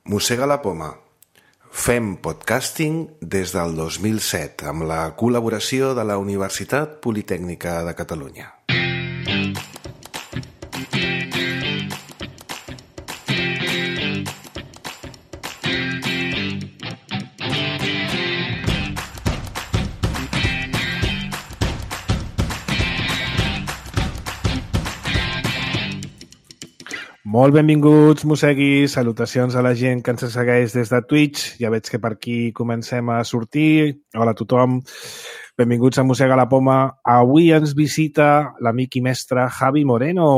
Mossega la poma. Fem podcasting des del 2007 amb la col·laboració de la Universitat Politècnica de Catalunya. Molt benvinguts, mosseguis, salutacions a la gent que ens segueix des de Twitch. Ja veig que per aquí comencem a sortir. Hola a tothom, benvinguts a Mossega la Poma. Avui ens visita l'amic i mestre Javi Moreno.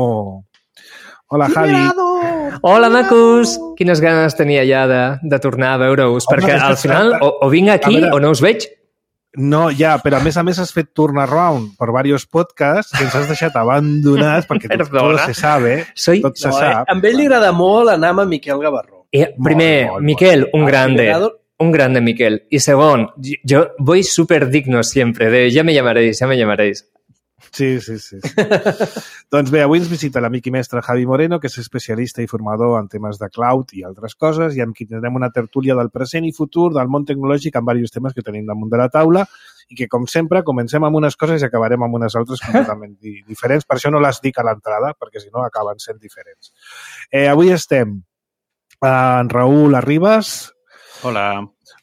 Hola, Javi. Hola, macos! Quines ganes tenia ja de tornar a veure-us, perquè al final o vinc aquí o no us veig. No, ja, però a més has fet turnaround per diversos podcasts que ens has deixat abandonats perquè tot se sabe, tot se sap. A ell li agrada molt anar amb Miquel Gavarró. Primer, Miquel, un grande Miquel. Y segon, yo voy súper digno siempre, de ya me llamaréis. Sí. Doncs bé, avui ens visita l'amic i mestre Javi Moreno, que és especialista i formador en temes de cloud i altres coses, i amb qui tindrem una tertúlia del present i futur del món tecnològic amb diversos temes que tenim damunt de la taula i que, com sempre, comencem amb unes coses i acabarem amb unes altres completament diferents. Per això no les dic a l'entrada, perquè si no acaben sent diferents. Avui estem en Raül Arribas.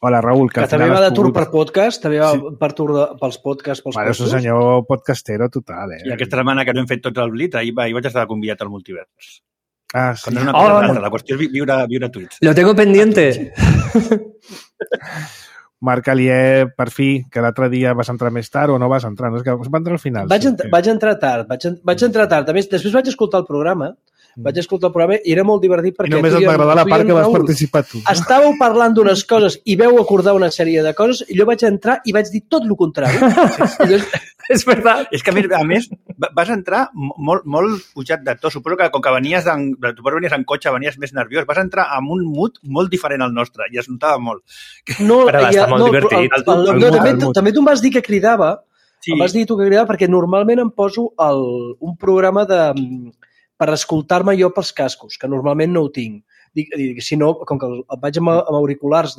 Hola, Raül. Que també va de tour per podcast, també va per tour pels podcasts. És un senyor podcastero total, I aquesta setmana que no hem fet tots el Blitz, ahir vaig estar convidat al multivers. Ah, sí. Quan és una cosa la qüestió és viure tuits. Lo tengo pendiente. Marca-li, per fi, que l'altre dia vas entrar més tard o no vas entrar. No, és que va entrar al final. Vaig entrar tard. Després vaig escoltar el programa. I era molt divertit perquè... I només et va agradar la part que vas participar tu. Estàveu parlant d'unes coses i veu acordar una sèrie de coses i jo vaig entrar i vaig dir tot el contrari. És veritat. És que, a més, vas entrar molt pujat de to. Suposo que com que venies en cotxe, venies més nerviós, vas entrar amb un mood molt diferent al nostre i es notava molt. Però va estar molt divertit. També tu em vas dir que cridava, em vas dir tu que cridava perquè normalment em poso un programa per escoltar-me jo pels cascos, que normalment no ho tinc. Si no, com que vaig amb auriculars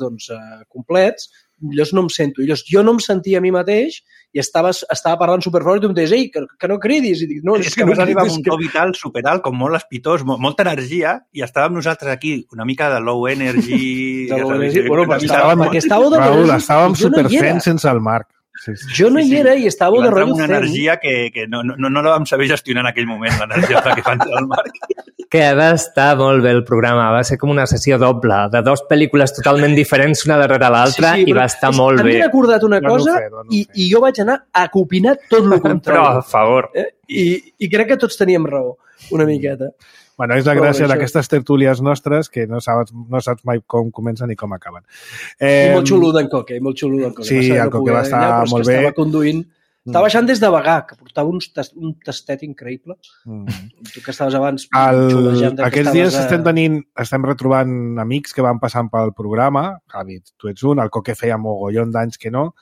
complets, llavors no em sento. Jo no em sentia a mi mateix i estava parlant superfort i tu em deies, ei, que no cridis. I dic, no, és que vas arribar amb un to vital superalt, com molt espitós, molta energia, i estàvem nosaltres aquí, una mica de low energy... perquè estàveu de Raül, estàvem superfents sense el Marc. Sí. Jo no hi era i estàveu de rotllo fent. Una energia que no la vam saber gestionar en aquell moment, l'energia que fa entrar el Marc. Que va estar molt bé el programa, va ser com una sessió doble, de dues pel·lícules totalment diferents una darrere l'altra, i va estar molt bé. M'he recordat una cosa i jo vaig anar a copinar tot el contrari. Però, a favor. I crec que tots teníem raó, una miqueta. Bueno, és la gràcia d'aquestes tertúlies nostres que no saps mai com comencen ni com acaben. I molt xulo d'en Coque, Sí, el Coque va estar molt bé. Estava conduint. Estava baixant des de Bagà, que portava un tastet increïble. Tu que estaves abans xulejant. Aquests dies estem retrobant amics que van passant pel programa. Javi, tu ets un, el Coque feia mogollon d'anys que no,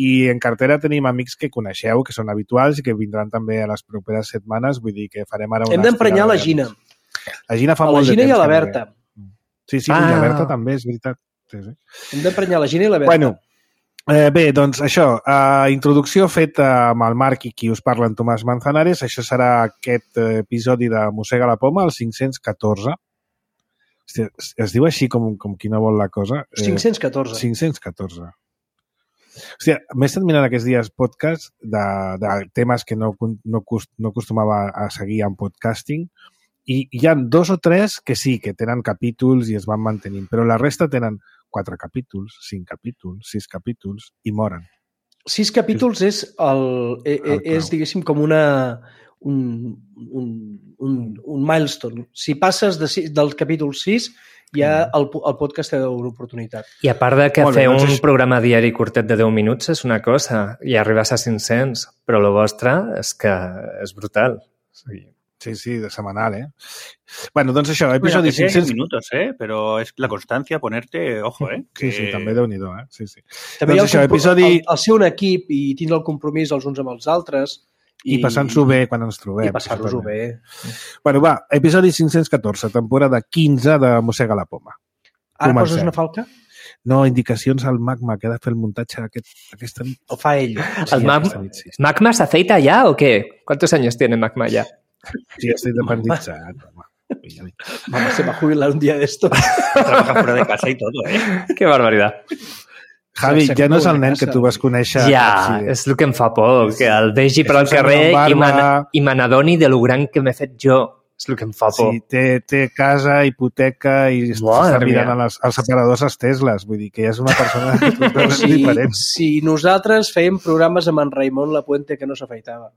i en cartera tenim amics que coneixeu, que són habituals i que vindran també a les properes setmanes. Vull dir que farem ara una... Hem d'emprenyar la Gina. La Gina fa molt de temps. La Gina i la Berta. Sí, i la Berta també, és veritat. Sí. Hem d'emprenyar la Gina i la Berta. Bueno, bé, doncs això, introducció feta amb el Marc i qui us parla, en Tomàs Manzanares. Això serà aquest episodi de Mossega la Poma, el 514. Hòstia, es diu així com qui no vol la cosa. 514. 514. Hòstia, m'he estat mirant aquests dies podcast de temes que no acostumava a seguir en podcasting, i hi ha 2 o 3 que sí, que tenen capítols i es van mantenint, però la resta tenen 4 capítols, 5 capítols, 6 capítols i moren. 6 capítols és diguéssim, com un milestone. Si passes del capítol 6, ja el podcast té una oportunitat. I a part de que fer un programa diari curtet de 10 minuts és una cosa, i arribes a 500, però el vostre és que és brutal. Sí, de setmanal, Bueno, doncs això, episodi 500... minutos, però és la constància, ponerte, ojo, Sí, també Déu-n'hi-do, Sí. També doncs el ser un equip i tindre el compromís els uns amb els altres. I passant-s'ho bé quan ens trobem. I passar-nos-ho bé. Bueno, va, episodi 514, temporada 15 de Mossega la Poma. Ara poses una falca? No, indicacions al Magma, que ha de fer el muntatge aquesta nit. O fa ell? ¿El Magma se aceita ya o qué? ¿Cuántos años tiene Magma ya? Sí, estoy dependitzat. Vamos, se va a jubilar un día de esto. Trabaja fuera de casa y todo, ¿eh? Qué barbaridad. Javi, ja no és el nen que tu vas conèixer. Ja, és el que em fa por, que el vegi per al carrer i me n'adoni de lo gran que m'he fet jo. És el que em fa por. Sí, té casa, hipoteca i està mirant els separadors als Tesles. Vull dir que és una persona diferent. Si nosaltres fèiem programes amb en Raimon Lapuente que no s'afeitava.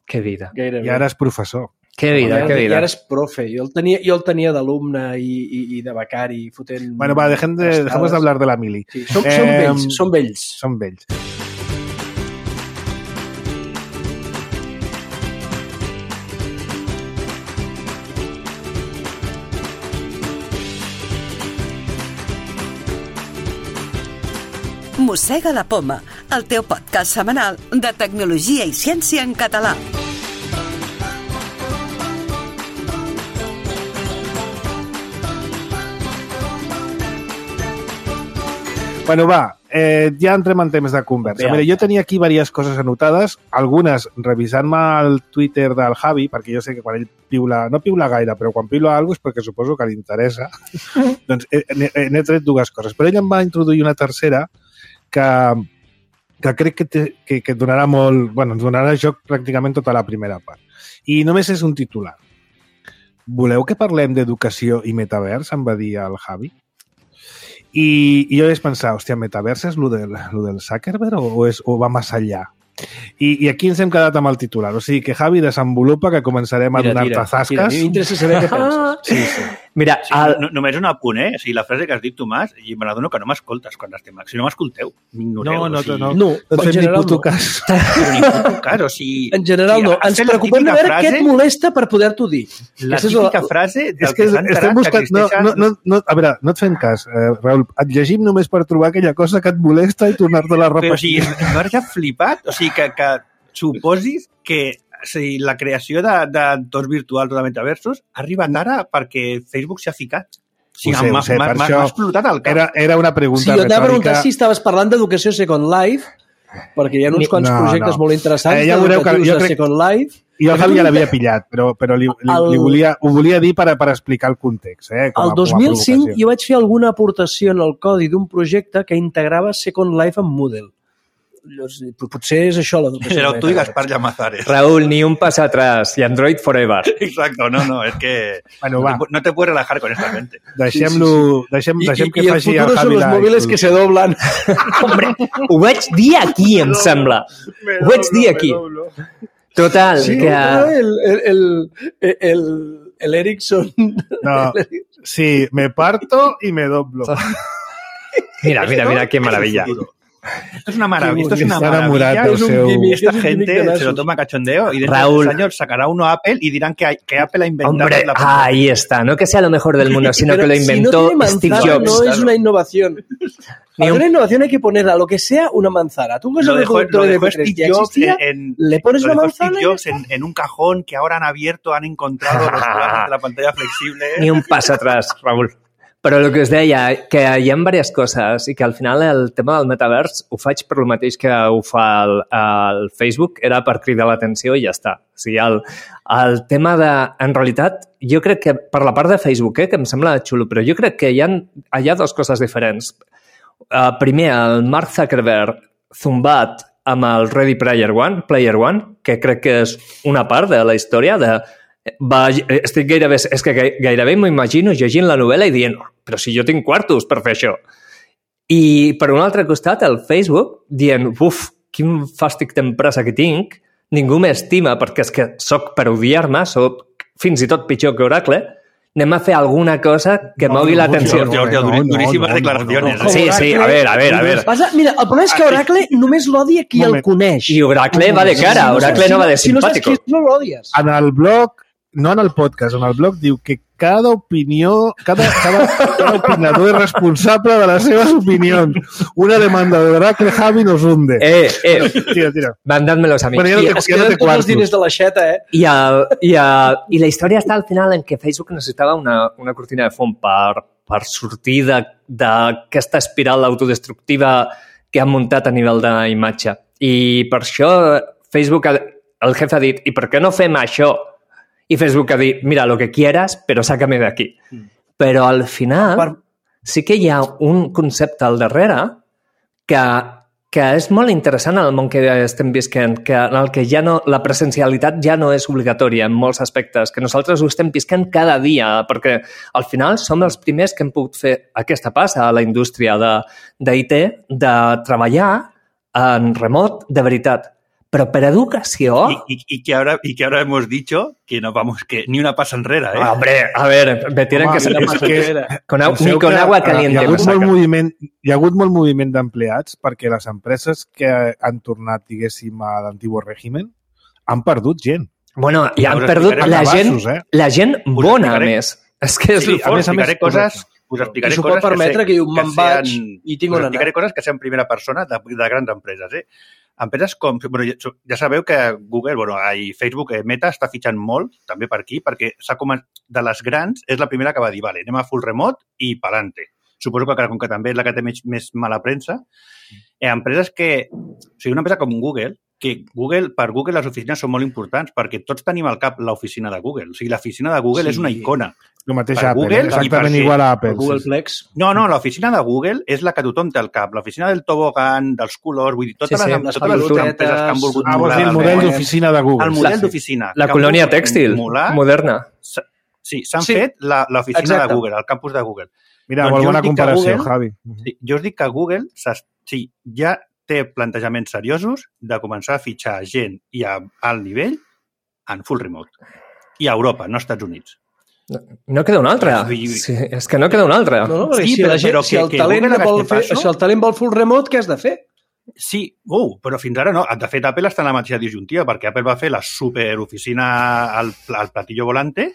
Que vida. I ara és professor. Que vida, que vida. I ara és profe. Jo el tenia d'alumne i de becari fotent... Bueno, va, dejemos de hablar de la mili. Sí, són vells. Són vells. Mossega la Poma, el teu podcast setmanal de tecnologia i ciència en català. Bueno, va, ja entrem en temps de conversa. Mira, jo tenia aquí diverses coses anotades, algunes revisant-me el Twitter del Javi, perquè jo sé que quan ell piula, no piula gaire, però quan piula alguna cosa és perquè suposo que li interessa, doncs n'he tret dues coses. Però ell em va introduir una tercera que crec que donarà molt... Bueno, ens donarà joc pràcticament tota la primera part. I només és un titular. Voleu que parlem d'educació i metavers? Em va dir el Javi. I jo vaig pensar, hòstia, metavers és lo del Zuckerberg o va més enllà? I aquí ens hem quedat amb el titular. O sigui que, Javi, desenvolupa que començarem a donar-te zasques. Mira, m'interessa saber què penses. Sí. Mira, només un apunt, O sigui, la frase que has dit tu, Mas, i me n'adono que no m'escoltes quan estem... Si no m'escolteu, m'ignoreu. No et fem ni puto cas. Ni puto cas, o sigui... En general no. Ens preocupem de veure què et molesta per poder-t'ho dir. La típica frase del que s'ha enterat que existeixen... A veure, no et fem cas, Raül. Et llegim només per trobar aquella cosa que et molesta i tornar-te-la a repetir. Però, o sigui, m'has ja flipat? O sigui, que suposis que la creació d'entorns virtuals o de metaversos ha arribat ara perquè Facebook s'ha ficat. Sí, m'ha explotat el cap. Era una pregunta retòrica. Sí, jo t'he preguntat si estaves parlant d'educació Second Life, perquè hi ha uns quants projectes molt interessants educatius de Second Life. Jo el Javi ja l'havia pillat, però ho volia dir per explicar el context. El 2005 jo vaig fer alguna aportació en el codi d'un projecte que integrava Second Life amb Moodle. Potser és això l'educació. Però tu i Gaspar Llamazares. Raúl, ni un pas atrás y Android forever. Exacto, no, es que bueno, no te puedes relajar con esta mente. Deixem que faci el futuro són los móviles que se doblan. Hombre, ho vaig dir aquí, em sembla. Ho vaig dir aquí. Total, sí, que... El Ericsson... No, sí, me parto y me doblo. Mira, qué maravilla. Esto es una maravilla. Es un gimmick. Esta gente se lo toma cachondeo y dentro de 3 años sacará uno a Apple y dirán que Apple ha inventado. Hombre, ahí está. No que sea lo mejor del mundo, sino que lo inventó Steve Jobs. No es una innovación. Para una innovación hay que poner a lo que sea una manzana. Tú que lo dejó Steve Jobs le pones una manzana Steve Jobs en un cajón que ahora han encontrado los programas de la pantalla flexible. Ni un pas atrás, Raúl. Però el que us deia, que hi ha diverses coses i que al final el tema del metavers ho faig per el mateix que ho fa el Facebook, era per cridar l'atenció i ja està. O sigui, el tema de... En realitat, jo crec que per la part de Facebook, que em sembla xulo, però jo crec que hi ha dues coses diferents. Primer, el Mark Zuckerberg zumbat amb el Ready Player One, que crec que és una part de la història de... És que gairebé m'imagino llegint la novel·la i dient, però si jo tinc quartos per fer això. I per un altre costat, el Facebook dient, quin fàstic d'empresa que tinc, ningú m'estima perquè és que soc per odiar-me, soc fins i tot pitjor que Oracle, anem a fer alguna cosa que mogui l'atenció. Duríssimes declaracions. Sí, a ver. Mira, el problema és que Oracle només l'odia qui el coneix. I Oracle va de cara, Oracle no va de simpàtico. Si no saps qui no l'odies. En el blog no en el podcast, en el blog, diu que cada opinió, cada opinador és responsable de les seves opinions. Una demanda de verdad que el Javi nos hunde. Tira. Mandádmelos a mi. Bueno, es queden tots els diners de la xeta, I la història està al final en que Facebook necessitava una cortina de fum per sortir d'aquesta espiral autodestructiva que han muntat a nivell d'imatge. I per això Facebook, el jefe ha dit, i per què no fem això? I Facebook ha dit, mira, lo que quieras, però sácame de aquí. Però al final sí que hi ha un concepte al darrere que és molt interessant en el món que estem visquent, en el que ja no, la presencialitat ja no és obligatòria en molts aspectes, que nosaltres ho estem visquent cada dia, perquè al final som els primers que hem pogut fer aquesta passa a la indústria d'IT, de treballar en remot de veritat. Pero para educación... Y que ahora hemos dicho que no vamos, que ni una pasa enrere, ¿eh? Hombre, a ver, me tienen que salir ni con agua caliente. Hi ha hagut molt moviment d'empleats perquè les empreses que han tornat, diguéssim, a l'antigo règim han perdut gent. Bueno, i han perdut la gent bona, a més. És que és fort. Us explicaré coses I s'ho pot permetre que diu, me'n vaig i tinc on anar. Us explicaré coses que sean primera persona de grans empreses, eh? Empreses com... Bueno, ja sabeu que Google, i Facebook, Meta, està fitxant molt, també per aquí, perquè de les grans és la primera que va dir, vale, anem a full remote i pa'lante. Suposo que com que també és la que té més mala premsa. Empreses que... O sigui, una empresa com Google, que per Google les oficines són molt importants, perquè tots tenim al cap l'oficina de Google. O sigui, l'oficina de Google és una icona. El mateix Apple, exactament igual a Apple. Google Flex. No, l'oficina de Google és la que tothom té al cap. L'oficina del tobogan, dels colors, vull dir, totes les empreses que han volgut molar. El model d'oficina de Google. El model d'oficina. La colònia tèxtil, moderna. Sí, s'han fet l'oficina de Google, el campus de Google. Mira, molt bona comparació, Javi. Jo us dic que Google ja té plantejaments seriosos de començar a fitxar gent i a alt nivell en full remote. I a Europa, no als Estats Units. No queda una altra. Sí, és que no queda una altra. No, si el talent vol full remote, què has de fer? Sí, però fins ara no. De fet, Apple està en la mateixa disjuntiva, perquè Apple va fer la superoficina al platillo volante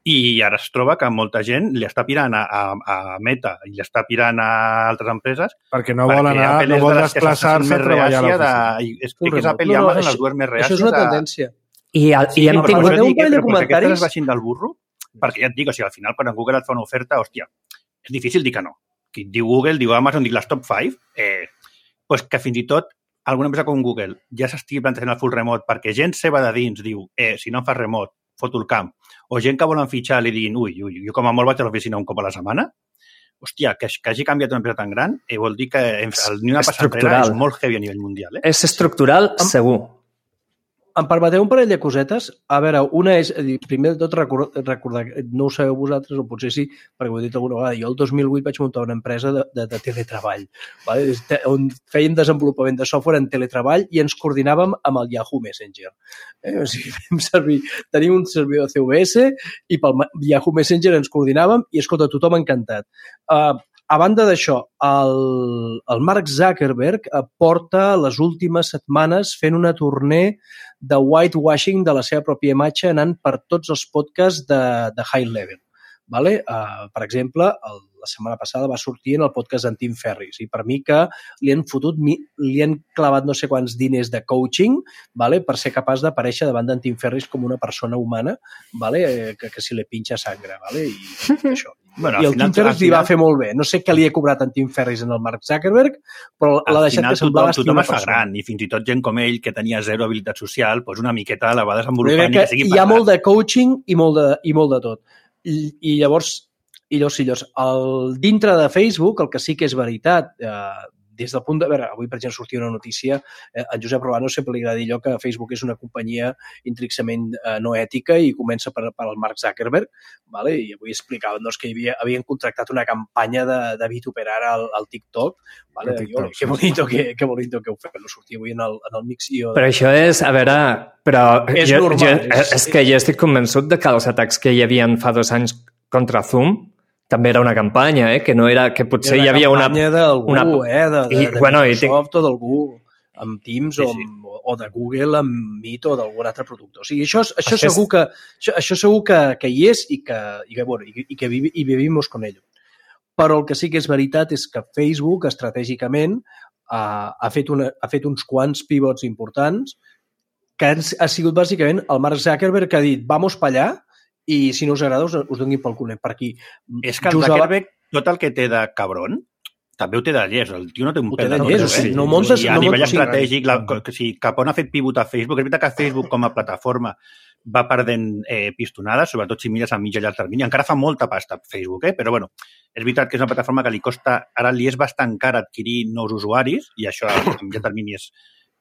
i ara es troba que molta gent li està pirant a Meta i li està pirant a altres empreses perquè no vol anar, no vol desplaçar-se a treballar a l'oficina. És que és Apple i Amazon les dues més reàcies. Això és una tendència. I hem tingut un parell de comentaris. Que baixin del burro, perquè ja et dic, al final quan Google et fa una oferta, hòstia, és difícil dir que no. Qui diu Google, diu Amazon, dic les top 5, pues que fins i tot alguna empresa com Google ja s'estigui plantejant el full remote perquè gent seva de dins diu, si no em fas remote, foto el camp, o gent que volen fitxar li diguin, jo com a molt vaig a l'oficina un cop a la setmana, hòstia, que hagi canviat una empresa tan gran vol dir que ni una passa enrere és molt heavy a nivell mundial. És estructural, segur. Em permeteu un parell de cosetes? A veure, una és, primer de tot, recordar, no ho sabeu vosaltres, o potser sí, perquè ho he dit alguna vegada, jo el 2008 vaig muntar una empresa de teletreball, vale? On fèiem desenvolupament de software en teletreball i ens coordinàvem amb el Yahoo Messenger. O sigui, tenim un servidor CVS i pel Yahoo Messenger ens coordinàvem i, escolta, tothom encantat. A banda d'això, el Mark Zuckerberg porta les últimes setmanes fent una tournée de whitewashing de la seva pròpia imatge anant per tots els podcasts de high level. Vale? Per exemple, la setmana passada va sortir en el podcast d'en Tim Ferriss i per mi que li han clavat no sé quants diners de coaching, vale? Per ser capaç d'aparèixer davant d'en Tim Ferriss com una persona humana, vale? Que si li pinxa sangre. Vale? I això. Bueno, i el Tim Ferriss li va fer molt bé. No sé què li ha cobrat en Tim Ferriss en el Mark Zuckerberg, però l'ha deixat que semblava tothom es fa gran i fins i tot gent com ell que tenia zero habilitat social, doncs una miqueta la va desenvolupant i que sigui hi ha molt de coaching i molt de tot. I llavors, dintre de Facebook, el que sí que és veritat, des del punt de... A veure, avui, per exemple, sortia una notícia, en Josep Robano sempre li agrada dir allò que Facebook és una companyia intrínxecament no ètica i comença per al Mark Zuckerberg, vale? I avui explicaven que havien contractat una campanya de vituperar al TikTok, vale? Que bonito que ho fem, no sortia avui en el mix. Però això és, a veure... Però és normal. És que jo estic convençut de que els atacs que hi havia fa 2 anys contra Zoom també era una campanya, que no era... que potser hi havia una... Era una campanya d'algú, de Microsoft o d'algú. amb Teams o de Google amb Meet o d'algun altre producte. O sigui, això segur que hi és i que vivimos con ello. Però el que sí que és veritat és que Facebook estratègicament ha fet uns quants pivots importants que ha sigut bàsicament el Mark Zuckerberg que ha dit vamos pa allà i si no us agrada us donin pel culet per aquí. És que el Zuckerberg, tot el que té de cabron, també ho té de llest. El tio no té un pèl de llest. A nivell estratègic, cap on ha fet pivot a Facebook. És veritat que Facebook com a plataforma va perdent pistonades, sobretot si mires a mitjà i llarg termini. Encara fa molta pasta Facebook, però bueno, és veritat que és una plataforma que li costa, ara li és bastant car adquirir nous usuaris, i això a mitjà termini és...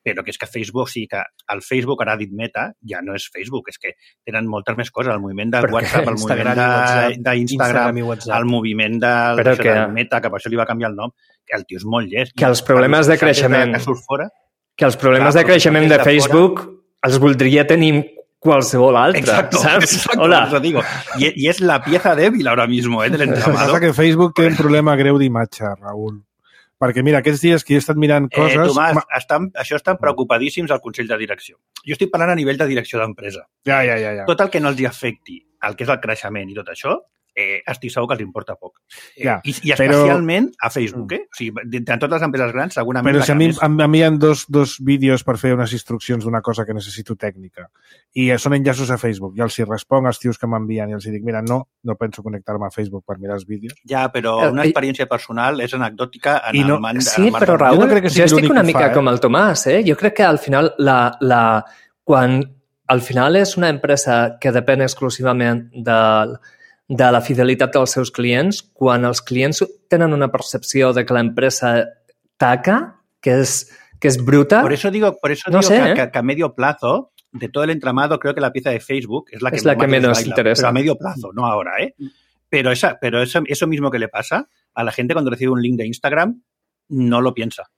Però que és que Facebook, sí que el Facebook, ara ha dit Meta, ja no és Facebook, és que tenen moltes més coses. El moviment de WhatsApp, el moviment d'Instagram, el moviment de Meta, que per això li va canviar el nom, que el tio és molt llest. Que els problemes de creixement de Facebook els voldria tenir qualsevol altre, saps? Hola. I és la pieza débil ahora mismo, del entramado. Passa que Facebook té un problema greu d'imatge, Raül. Perquè, mira, aquests dies que he estat mirant coses... Tomàs, això estan preocupadíssims al Consell de Direcció. Jo estic parlant a nivell de direcció d'empresa. Ja. Tot el que no els afecti el que és el creixement i tot això, estic segur que els importa poc. I especialment a Facebook, O sigui, de totes les empreses grans, segurament... Però si a mi hi ha dos vídeos per fer unes instruccions d'una cosa que necessito tècnica i són enllaços a Facebook i els hi responc als tios que m'envien i els dic, mira, no penso connectar-me a Facebook per mirar els vídeos. Ja, però una experiència personal és anecdòtica en el man... Sí, però Raül, jo estic una mica com el Tomàs, Jo crec que al final quan al final és una empresa que depèn exclusivament de la fidelitat dels seus clients, quan els clients tenen una percepció de que l'empresa taca, que és bruta... Por eso digo que a medio plazo, de todo el entramado, creo que la pieza de Facebook es la que menos interesa. Pero a medio plazo, no ahora, Pero eso mismo que le pasa a la gente cuando recibe un link de Instagram, no lo piensa.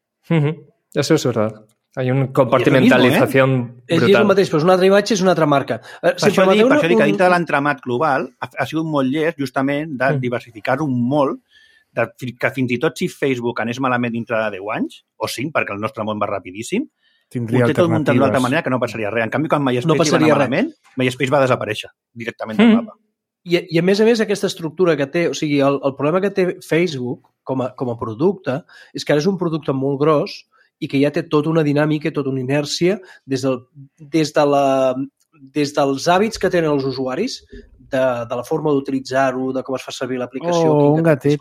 Eso es verdad. Hay una compartimentalització brutal. És el mateix, però és una altra imatge, és una altra marca. Per això dic que dintre de l'entramat global ha sigut molt llest justament de diversificar-ho molt, que fins i tot si Facebook anés malament dintre de 10 anys, o 5, perquè el nostre món va rapidíssim, tindria ho té tot muntat d'una altra manera que no passaria res. En canvi, quan MySpace va anar malament, MySpace va desaparèixer directament del mapa. I a més, aquesta estructura que té, o sigui, el problema que té Facebook com a producte és que ara és un producte molt gros i que ja té tota una dinàmica i tota una inèrcia des dels hàbits que tenen els usuaris, de la forma d'utilitzar-ho, de com es fa servir l'aplicació, un gatete.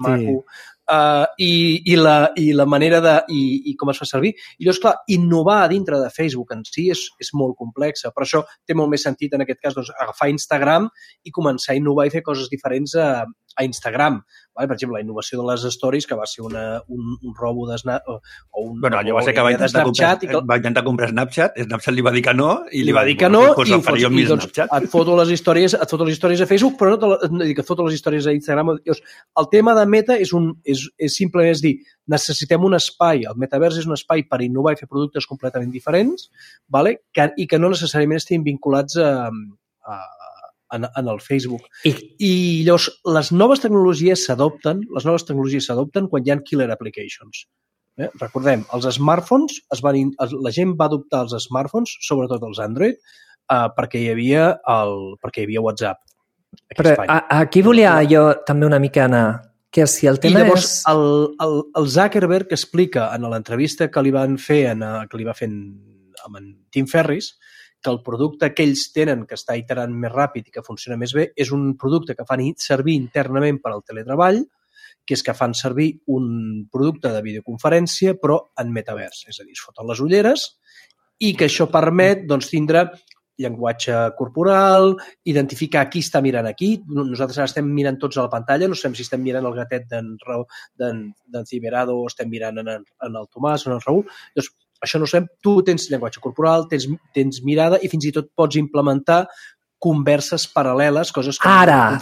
I la manera i com es fa servir. I llavors, clar, innovar dintre de Facebook en si és molt complexa. Per això té molt més sentit, en aquest cas, doncs, agafar Instagram i començar a innovar i fer coses diferents a Instagram. Per exemple, la innovació de les stories, que va ser un robo de allò va ser que va intentar comprar Snapchat, Snapchat li va dir que no, i li va dir que no, i et foto les històries a Facebook, però no et foto les històries a Instagram. El tema de Meta és simplement dir, necessitem un espai, el metavers és un espai per innovar i fer productes completament diferents, i que no necessàriament estiguin vinculats en el Facebook. I llavors, les noves tecnologies s'adopten quan hi ha killer applications. Recordem, els smartphones, la gent va adoptar els smartphones, sobretot els Android, perquè hi havia WhatsApp. Però aquí volia jo també una mica anar, que si el tema és... I llavors, el Zuckerberg explica en l'entrevista que li va fer amb en Tim Ferriss, que el producte que ells tenen, que està iterant més ràpid i que funciona més bé, és un producte que fan servir internament per al teletreball, que és que fan servir un producte de videoconferència, però en metavers. És a dir, es foten les ulleres i que això permet tindre llenguatge corporal, identificar qui està mirant aquí. Nosaltres ara estem mirant tots a la pantalla, no sabem si estem mirant el gatet d'en Ciberado o estem mirant en el Tomàs o en el Raül. Llavors, això no sabem, tu tens llenguatge corporal, tens mirada i fins i tot pots implementar converses paral·leles, coses que Ara,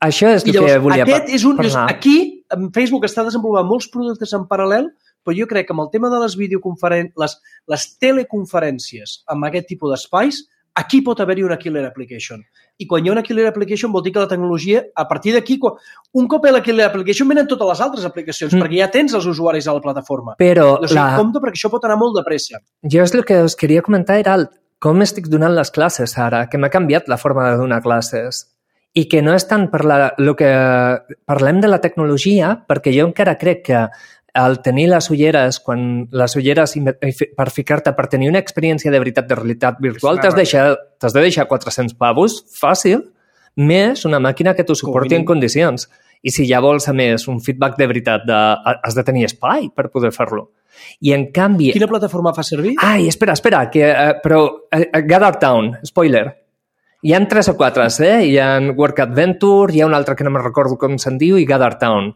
això és el que volia parlar. Aquí, Facebook està desenvolupant molts productes en paral·lel, però jo crec que amb el tema de les videoconferències, les teleconferències amb aquest tipus d'espais, aquí pot haver-hi una killer application. I quan hi ha una killer application vol dir que la tecnologia, a partir d'aquí, un cop hi ha la killer application, venen totes les altres aplicacions, perquè ja tens els usuaris a la plataforma. Però compte, perquè això pot anar molt de pressa. Jo el que us queria comentar era com estic donant les classes ara, que m'ha canviat la forma de donar classes. I que no és tant per el que parlem de la tecnologia, perquè jo encara crec que al tenir les ulleres, per ficar-te, per tenir una experiència de veritat, de realitat virtual, t'has de deixar 400 pavos, fàcil, més una màquina que t'ho suporti en condicions. I si ja vols, a més, un feedback de veritat, has de tenir espai per poder fer-lo. I en canvi... Quina plataforma fa servir? Ai, espera, però Gather Town, spoiler. Hi ha 3 o 4, Hi ha Work Adventure, hi ha un altre que no me'n recordo com se'n diu, i Gather Town.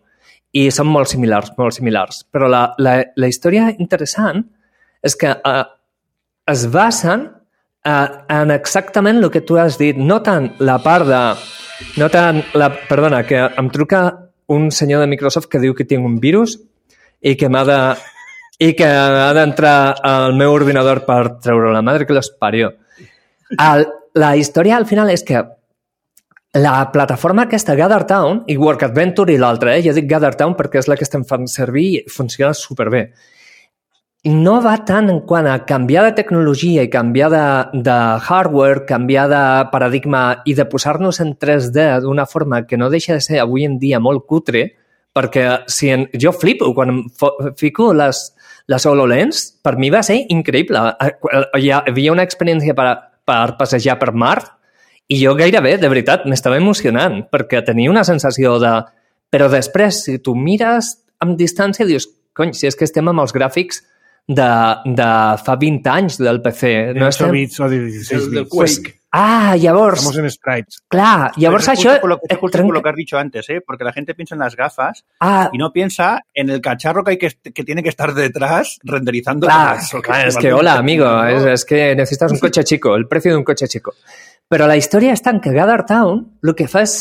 I són molt similars, molt similars. Però la història interessant és que es basen en exactament el que tu has dit. No tant la part de... Perdona, que em truca un senyor de Microsoft que diu que tinc un virus i que ha d'entrar al meu ordinador per treure la madre que los parió. La història al final és que la plataforma aquesta, Gather Town, i Work Adventure i l'altra, jo dic Gather Town perquè és la que estem fent servir i funciona superbé. No va tant en quant a canviar de tecnologia i canviar de hardware, canviar de paradigma i de posar-nos en 3D d'una forma que no deixa de ser avui en dia molt cutre, perquè jo flipo quan fico les HoloLens, per mi va ser increïble. Hi havia una experiència per passejar per Mart i jo gairebé, de veritat, m'estava emocionant perquè tenia una sensació de... Però després, si tu mires amb distància, dius, cony, si és que estem amb els gràfics de fa 20 anys del PC. De 8 bits o de 16 bits. Del Quake. Llavors... Estamos en sprites. Clar, llavors això... Es justo por lo que has dicho antes, porque la gente piensa en las gafas y no piensa en el cacharro que tiene que estar detrás renderizando. Claro, es que, hola, amigo, es que necesitas un coche chico, el precio de un coche chico. Però la història és tant que Gather Town el que fa és,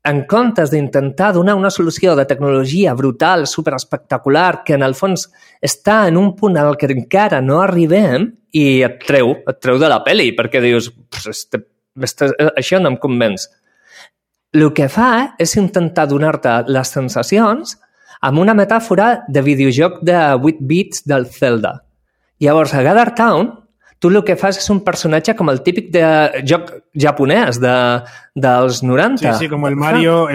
en comptes d'intentar donar una solució de tecnologia brutal, superespectacular, que en el fons està en un punt al que encara no arribem i et treu de la pel·li, perquè dius, això no em convenç. El que fa és intentar donar-te les sensacions amb una metàfora de videojoc de 8 bits del Zelda. Llavors, a Gather Town, tu el que fas és un personatge com el típic de joc japonès dels 90. Sí, com el Mario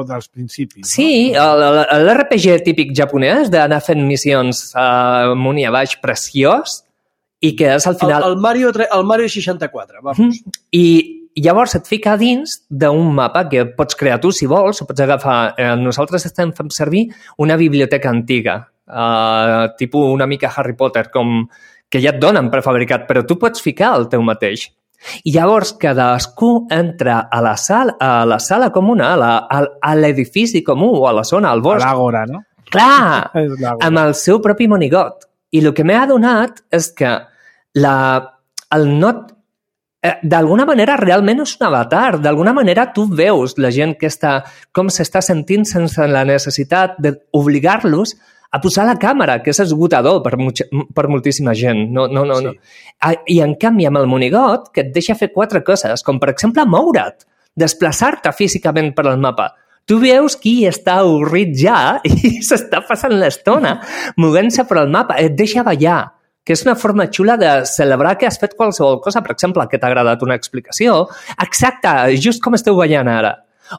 dels principis. No? Sí, l'RPG típic japonès d'anar fent missions amunt i a baix preciós i que és al final... El Mario 64, vamos. I llavors et fica dins d'un mapa que pots crear tu si vols, o pots agafar... Nosaltres estem fent servir una biblioteca antiga, tipus una mica Harry Potter, que ja et donen prefabricat, però tu pots ficar el teu mateix. I llavors cadascú entra a la sala comuna, a l'edifici comú o a la zona, al bosc. A l'àgora, no? Clar, amb el seu propi monigot. I el que m'ha adonat és que el not d'alguna manera realment és un avatar. D'alguna manera tu veus la gent que com s'està sentint sense la necessitat d'obligar-los a posar la càmera, que és esgotador per moltíssima gent. No. I en canvi amb el monigot que et deixa fer 4 coses, com per exemple moure't, desplaçar-te físicament per al mapa. Tu veus qui està avorrit ja i s'està passant l'estona movent-se per al mapa, et deixa ballar, que és una forma xula de celebrar que has fet qualsevol cosa, per exemple, que t'ha agradat una explicació, exacte, just com esteu ballant ara,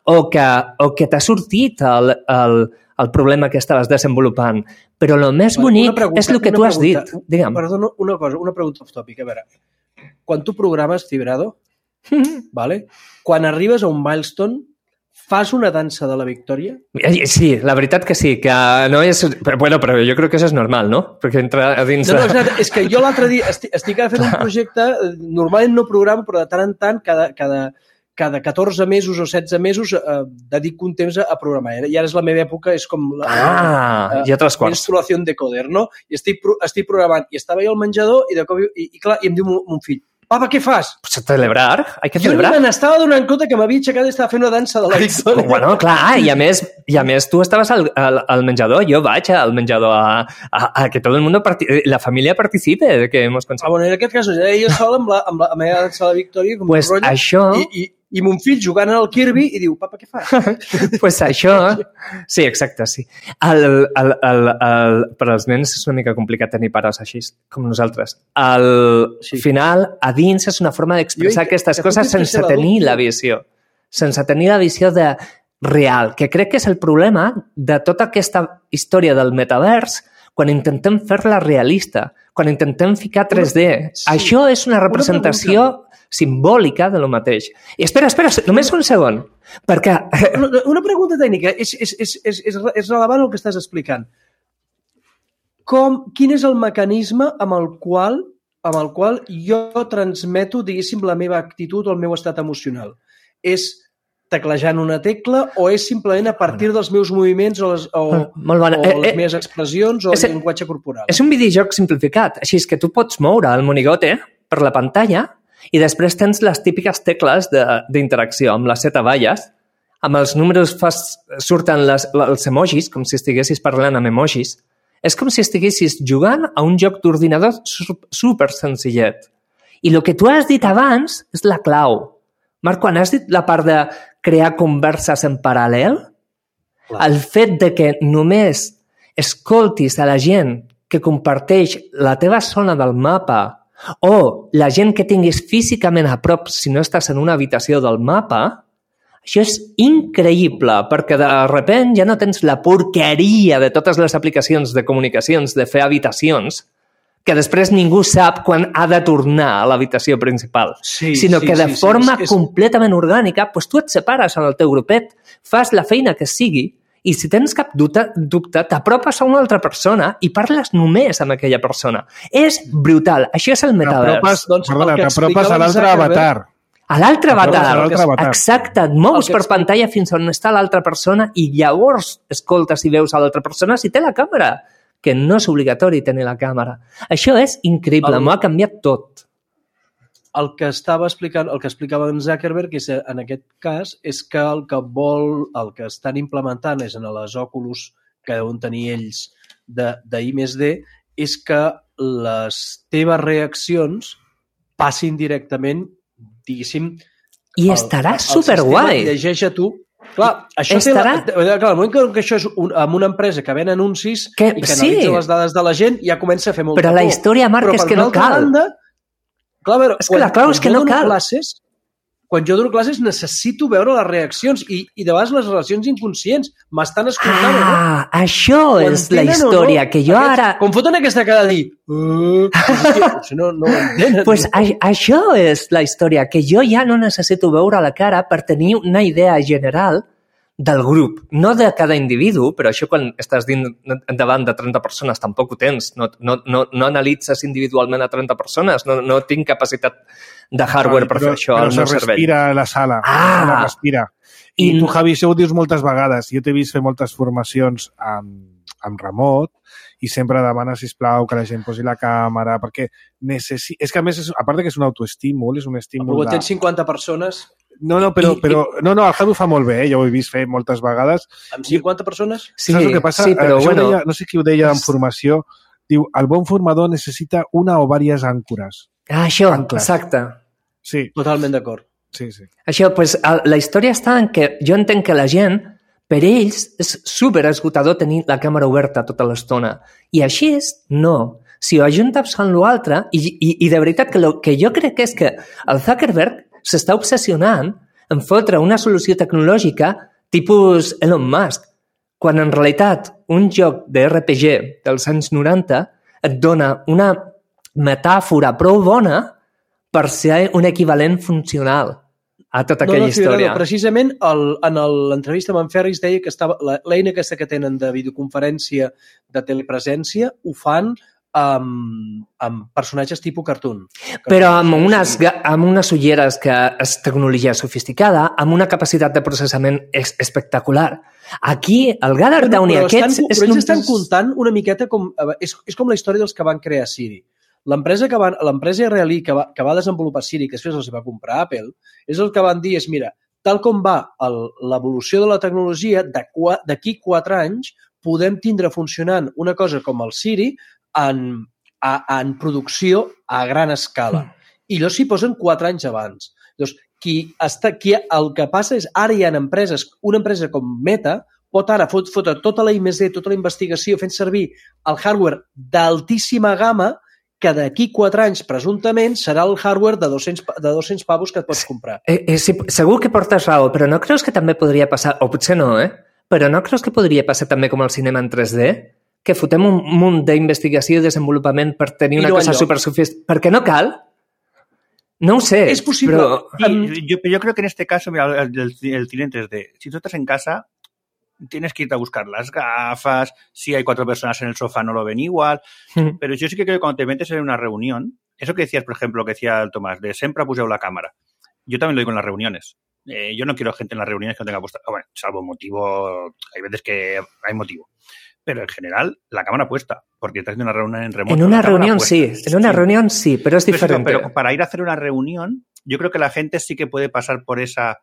o que t'ha sortit el problema que estaves desenvolupant. Però el més bonic és el que tu has dit. Digue'm. Perdona, una pregunta off-topic. A veure, quan tu programes Fibrado, vale? Quan arribes a un milestone, fas una dansa de la victòria? Sí, la veritat que sí, que no és... Bueno, però jo crec que això és normal, no? Perquè entra a dins... No, és que jo l'altre dia estic fent un projecte, normalment no programo, però de tant en tant, cada 14 mesos o 16 mesos dedico un temps a programar. I ara és la meva època, és com ja 3 quarts. Instal·lació de coder, no? I estic programant. I estava jo al menjador i de cop i clar, i em diu mon fill, Papa, què fas? Pues celebrar, hay que celebrar. Jo ni me n'estava donant compte que m'havia aixecat i estava fent una dansa de la victòria. Bueno, clar, i a més tu estaves al menjador, jo vaig al menjador a que tot el món, la família participe de que hemos conseguit. Bueno, en aquest cas, jo sol amb la meva dansa de la victòria, com pues un rotllo, això... I mon fill jugant al Kirby i diu, papa, què fas? Pues això... Sí, exacte, sí. Per als nens és una mica complicat tenir pares així, com nosaltres. Al final, a dins és una forma d'expressar aquestes coses sense tenir la visió. Sense tenir la visió de real, que crec que és el problema de tota aquesta història del metavers quan intentem fer-la realista, quan intentem ficar 3D. Això és una representació simbòlica de lo mateix. I espera, només un segon, perquè... Una pregunta tècnica, és relevant el que estàs explicant. Quin és el mecanisme amb el qual jo transmeto, diguéssim, la meva actitud o el meu estat emocional? És teclejant una tecla o és simplement a partir dels meus moviments o les meves expressions o el llenguatge corporal? És un videojoc simplificat, així és que tu pots moure el monigote per la pantalla i després tens les típiques tecles d'interacció amb les 7 valles, amb els números surten els emojis, com si estiguessis parlant amb emojis. És com si estiguessis jugant a un joc d'ordinador super senzillet. I el que tu has dit abans és la clau. Marc, quan has dit la part de crear converses en paral·lel, el fet de que només escoltis a la gent que comparteix la teva zona del mapa o la gent que tinguis físicament a prop si no estàs en una habitació del mapa, això és increïble, perquè de sobte ja no tens la porqueria de totes les aplicacions de comunicacions de fer habitacions que després ningú sap quan ha de tornar a l'habitació principal, sinó que de forma completament orgànica tu et separes en el teu grupet, fas la feina que sigui i si tens cap dubte, t'apropes a una altra persona i parles només amb aquella persona. És brutal. Això és el metavers. T'apropes a l'altre avatar. A l'altre avatar. Exacte. Et mous per pantalla fins on està l'altra persona i llavors escoltes i veus a l'altra persona si té la càmera, que no és obligatori tenir la càmera. Això és increïble. M'ho ha canviat tot. El que explicava en Zuckerberg en aquest cas és que el que estan implementant és en les Oculus que deuen tenir ells d'I+D és que les teves reaccions passin directament, diguéssim... I estarà superguai. Llegeix a tu. Clar, això el moment que això és amb una empresa que ven anuncis i que analitza les dades de la gent ja comença a fer molta por. Però la història, Marc, és que no cal. És que la clau és que no cal. Quan jo dono classes necessito veure les reaccions i de vegades les relacions inconscients m'estan escoltant o no. Això és la història que jo ara... Com foten aquesta cara de dir... No ho entenen. Pues això és la història, que jo ja no necessito veure la cara per tenir una idea general del grup, no de cada individu, però això quan estàs davant de 30 persones tampoc ho tens, no analitzes individualment a 30 persones, no tinc capacitat de hardware per fer això al meu cervell. Però se respira a la sala, respira. I tu, Javi, això ho dius moltes vegades. Jo t'he vist fer moltes formacions amb remot i sempre demana, sisplau, que la gent posi la càmera, perquè és que a més, a part que és un autoestímul, és un estímul de... Tens 50 persones... No, el Javi ho fa molt bé, ja ho he vist fer moltes vegades. Amb 50 persones? Sí, saps el que passa? Sí, però bueno... No sé qui ho deia en formació, diu, el bon formador necessita una o diverses àncores. Això, exacte. Sí. Totalment d'acord. Sí. Això, doncs, la història està en que jo entenc que la gent, per ells, és superesgotador tenir la càmera oberta tota l'estona. I així és, no. Si ho ajuntes amb l'altre, i de veritat que el que jo crec és que el Zuckerberg s'està obsessionant en fotre una solució tecnològica tipus Elon Musk, quan en realitat un joc de RPG dels anys 90 et dona una metàfora prou bona per ser un equivalent funcional a tota aquella història. Precisament en l'entrevista amb en Ferris deia que l'eina aquesta que tenen de videoconferència de telepresència ho fan amb personatges tipus cartoon. Però amb unes ulleres que és tecnologia sofisticada, amb una capacitat de processament espectacular. Aquí, el Gather Down i aquests... Però ells estan comptant una miqueta com... És com la història dels que van crear Siri. L'empresa israelí que va desenvolupar Siri, que després els va comprar Apple, és el que van dir és, mira, tal com va l'evolució de la tecnologia, d'aquí 4 anys podem tindre funcionant una cosa com el Siri en producció a gran escala. I llavors s'hi posen 4 anys abans. Llavors, el que passa és, ara hi ha empreses, una empresa com Meta, pot ara fotre tota la I+D, tota la investigació, fent servir el hardware d'altíssima gamma que d'aquí 4 anys, presumptament, serà el hardware de 200 pavos que et pots comprar. Sí, segur que portes raó, però no creus que també podria passar, o potser no, però no creus que podria passar també com el cinema en 3D? Que fotem un munt d'investigació i desenvolupament per tenir una cosa supersofisticada. Perquè no cal? No ho sé. És possible. Yo creo que en este caso, mira, el cine en 3D, si tú estás en casa, tienes que irte a buscar las gafas, si hay 4 personas en el sofá no lo ven igual, pero yo sí que creo que cuando te metes en una reunión, eso que decías, por ejemplo, que decía el Tomás, de siempre poseu la cámara, yo también lo digo en las reuniones. Yo no quiero gente en las reuniones que no tenga puesta, bueno, salvo motivo, hay veces que hay motivo, pero en general la cámara puesta, porque estás haciendo una reunión en remoto. En una reunión sí, reunión sí, pero es diferente. Pero para ir a hacer una reunión, yo creo que la gente sí que puede pasar por esa...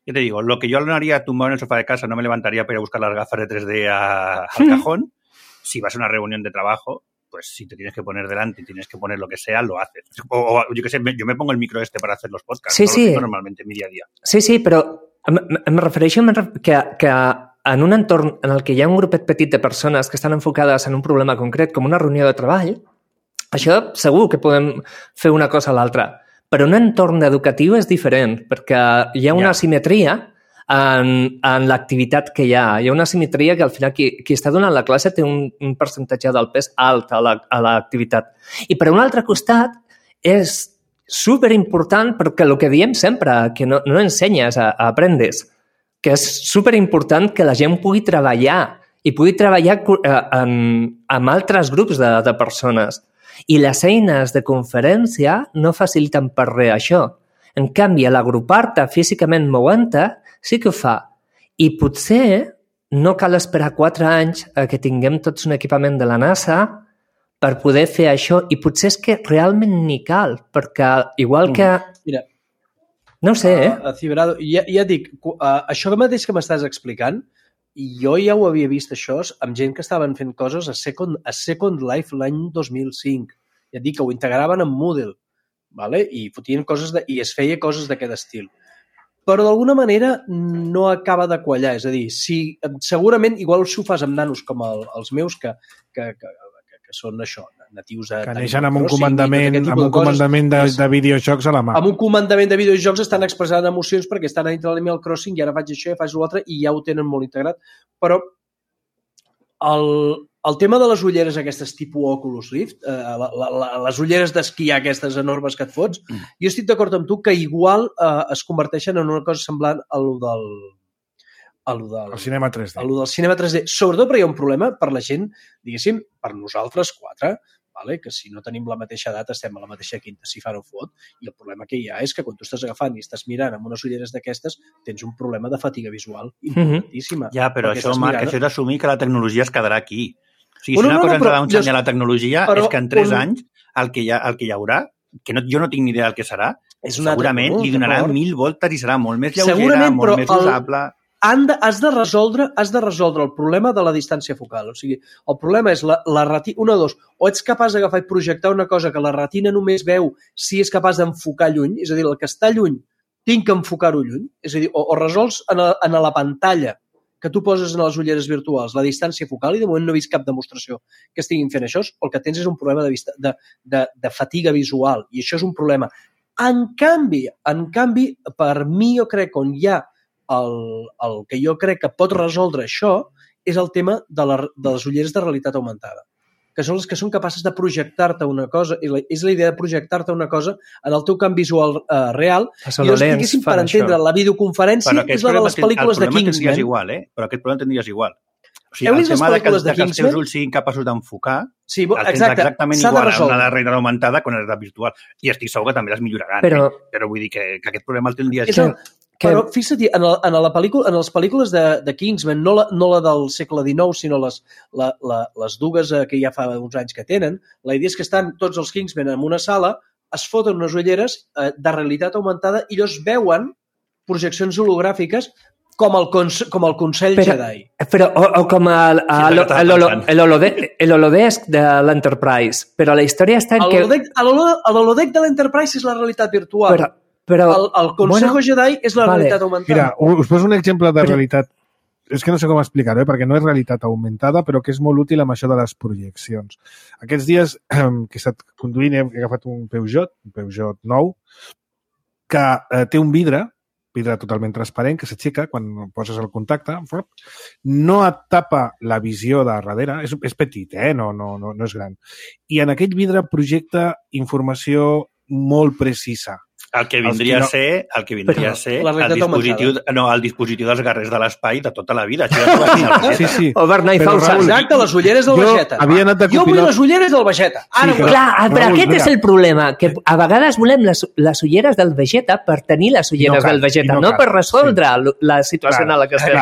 Yo te digo, lo que yo no haría tumbado en el sofá de casa, no me levantaría para ir a buscar las gafas de 3D al cajón. Si vas a una reunión de trabajo, pues si te tienes que poner delante y tienes que poner lo que sea, lo haces. O yo qué sé, yo me pongo el micro para hacer los podcasts. Sí, no lo tengo normalmente en mi día a día. Sí, però em refereixo que en un entorn en el que hi ha un grupet petit de persones que estan enfocades en un problema concret, com una reunió de treball, això segur que podem fer una cosa a l'altra. Però un entorn educatiu és diferent, perquè hi ha una asimetria en l'activitat que hi ha. Hi ha una asimetria que al final qui està donant la classe té un percentatge del pes alt a l'activitat. I per un altre costat és superimportant perquè el que diem sempre, que no ensenyes, aprendes, que és superimportant que la gent pugui treballar i pugui treballar amb altres grups de persones. I les eines de conferència no faciliten per res això. En canvi, l'agrupar-te físicament movent-te sí que ho fa. I potser no cal esperar 4 anys a que tinguem tots un equipament de la NASA per poder fer això. I potser és que realment ni cal, perquè igual que... Mira, no ho sé, Ciberado, ja dic, això mateix que m'estàs explicant, jo ja ho havia vist això amb gent que estaven fent coses a Second Life l'any 2005. Ja et dic que ho integraven en Moodle, ¿vale? I fotien coses i es feia coses d'aquest estil. Però d'alguna manera no acaba de quallar. És a dir, segurament, igual si ho fas amb nanos com els meus, que són això, natius de... Que neixen amb un comandament de videojocs a la mà. Amb un comandament de videojocs estan expressant emocions perquè estan a dintre l'Animal Crossing i ara faig això i faig l'altre i ja ho tenen molt integrat. Però el tema de les ulleres aquestes tipus Oculus Rift, les ulleres d'esquiar aquestes enormes que et fots, jo estic d'acord amb tu que igual es converteixen en una cosa semblant a lo del cinema 3D. A lo del cinema 3D. Sobretot perquè hi ha un problema per la gent, diguéssim, per nosaltres 4, vale? Que si no tenim la mateixa edat estem a la mateixa quinta, si fa no fot, i el problema que hi ha és que quan tu estàs agafant i estàs mirant amb unes ulleres d'aquestes tens un problema de fatiga visual importantíssima. Ja, però això, Marc, això és d'assumir que la tecnologia es quedarà aquí. O sigui, si una cosa ens ha d'ensenyar la tecnologia és que en 3 anys el que hi haurà, que jo no tinc ni idea del que serà, segurament li donarà 1000 voltes i serà molt més lleugera, molt més usable... Has de resoldre el problema de la distància focal. O sigui, el problema és la retina... Una o dos. O ets capaç d'agafar i projectar una cosa que la retina només veu si és capaç d'enfocar lluny, és a dir, el que està lluny tinc que enfocar-ho lluny. És a dir, o resols en la pantalla que tu poses en les ulleres virtuals la distància focal, i de moment no he vist cap demostració que estiguin fent això, el que tens és un problema de fatiga visual, i això és un problema. En canvi, per mi jo crec on hi ha el que jo crec que pot resoldre això és el tema de les ulleres de realitat augmentada, que són les que són capaces de projectar-te una cosa, i és la idea de projectar-te una cosa en el teu camp visual real, i llavors, diguéssim, per entendre la videoconferència és la de les pel·lícules de Kingsman. Però aquest problema tindries igual. O sigui, Heu vist les pel·lícules de que els Kingsman? teus ulls siguin capaços d'enfocar, sí, el tens exactament igual a una realitat augmentada que una realitat virtual. I estic segur que també les milloraran. Però vull dir que aquest problema el tindries... Però fixa't, en les pel·lícules de Kingsman, no la del segle XIX, sinó les dues que ja fa uns anys que tenen, la idea és que estan tots els Kingsman en una sala, es foten unes ulleres de realitat augmentada i ells veuen projeccions hologràfiques com el Consell Jedi. Però, o com l'holodeck de l'Enterprise. Però la història està en que... L'holodeck de l'Enterprise és la realitat virtual. Però el Consejo Jedi és la realitat augmentada. Mira, us poso un exemple de realitat. És que no sé com explicar-ho, perquè no és realitat augmentada, però que és molt útil amb això de les projeccions. Aquests dies que he estat conduint he agafat un Peugeot 9, que té un vidre totalment transparent, que s'aixeca quan poses el contacte, no et tapa la visió de darrere, és petit, no és gran. I en aquell vidre projecta informació molt precisa. El que vindria a ser el dispositiu dels guerrers de l'espai de tota la vida. Sí. O Bernay Fausa. Exacte, les ulleres del Vegeta. Jo vull les ulleres del Vegeta. Clar, però aquest és el problema, que a vegades volem les ulleres del Vegeta per tenir les ulleres del Vegeta, no per resoldre la situació en la que estem.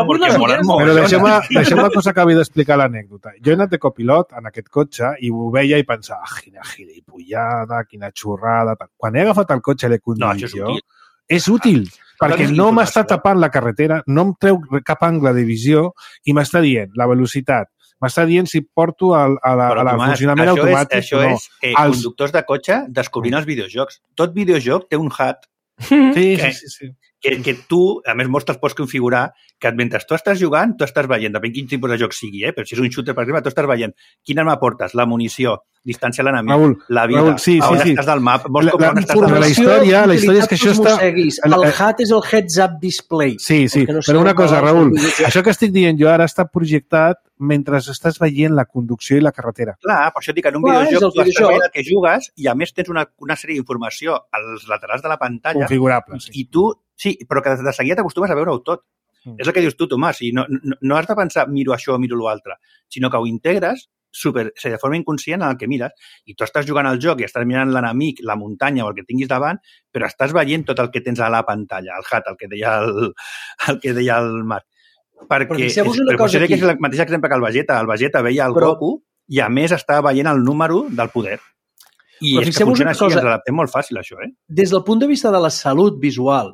Però deixeu-me que us acabi d'explicar l'anècdota. Jo he anat de copilot en aquest cotxe i ho veia i pensava, quina gilipollada, quina xorrada... Quan he agafat el cotxe l'he conduït jo, és útil, perquè no m'està tapant la carretera, no em treu cap angle de visió i m'està dient la velocitat, m'està dient si porto al funcionament automàtic. Això és conductors de cotxe descobrint els videojocs. Tot videojoc té un HUD Sí. Que tu, a més, molts te'ls pots configurar que mentre tu estàs jugant, tu estàs veient, depèn quin tipus de joc sigui, però si és un shooter, per exemple, tu estàs veient quina arma portes, la munició, distància a l'enemic, la vida, on estàs del map, la història és que això està... El HUD és el Heads Up Display. Sí, però una cosa, Raül, això que estic dient jo ara està projectat mentre estàs veient la conducció i la carretera. Clar, per això dic que en un videojoc tu estàs veient el que jugues i a més tens una sèrie d'informació als laterals de la pantalla. Configurable, sí. I tu, sí, però que de seguida t'acostumes a veure-ho tot. És el que dius tu, Tomàs, no has de pensar miro això o miro l'altre, sinó que ho integres de forma inconscient en el que mires i tu estàs jugant al joc i estàs mirant l'enemic, la muntanya o el que tinguis davant, però estàs veient tot el que tens a la pantalla, el HUD, el que deia el Marc. Perquè és el mateix exemple que el Vegeta veia el Goku i a més estava veient el número del poder. I és que funciona així, ens adaptem molt fàcil, això. Des del punt de vista de la salut visual,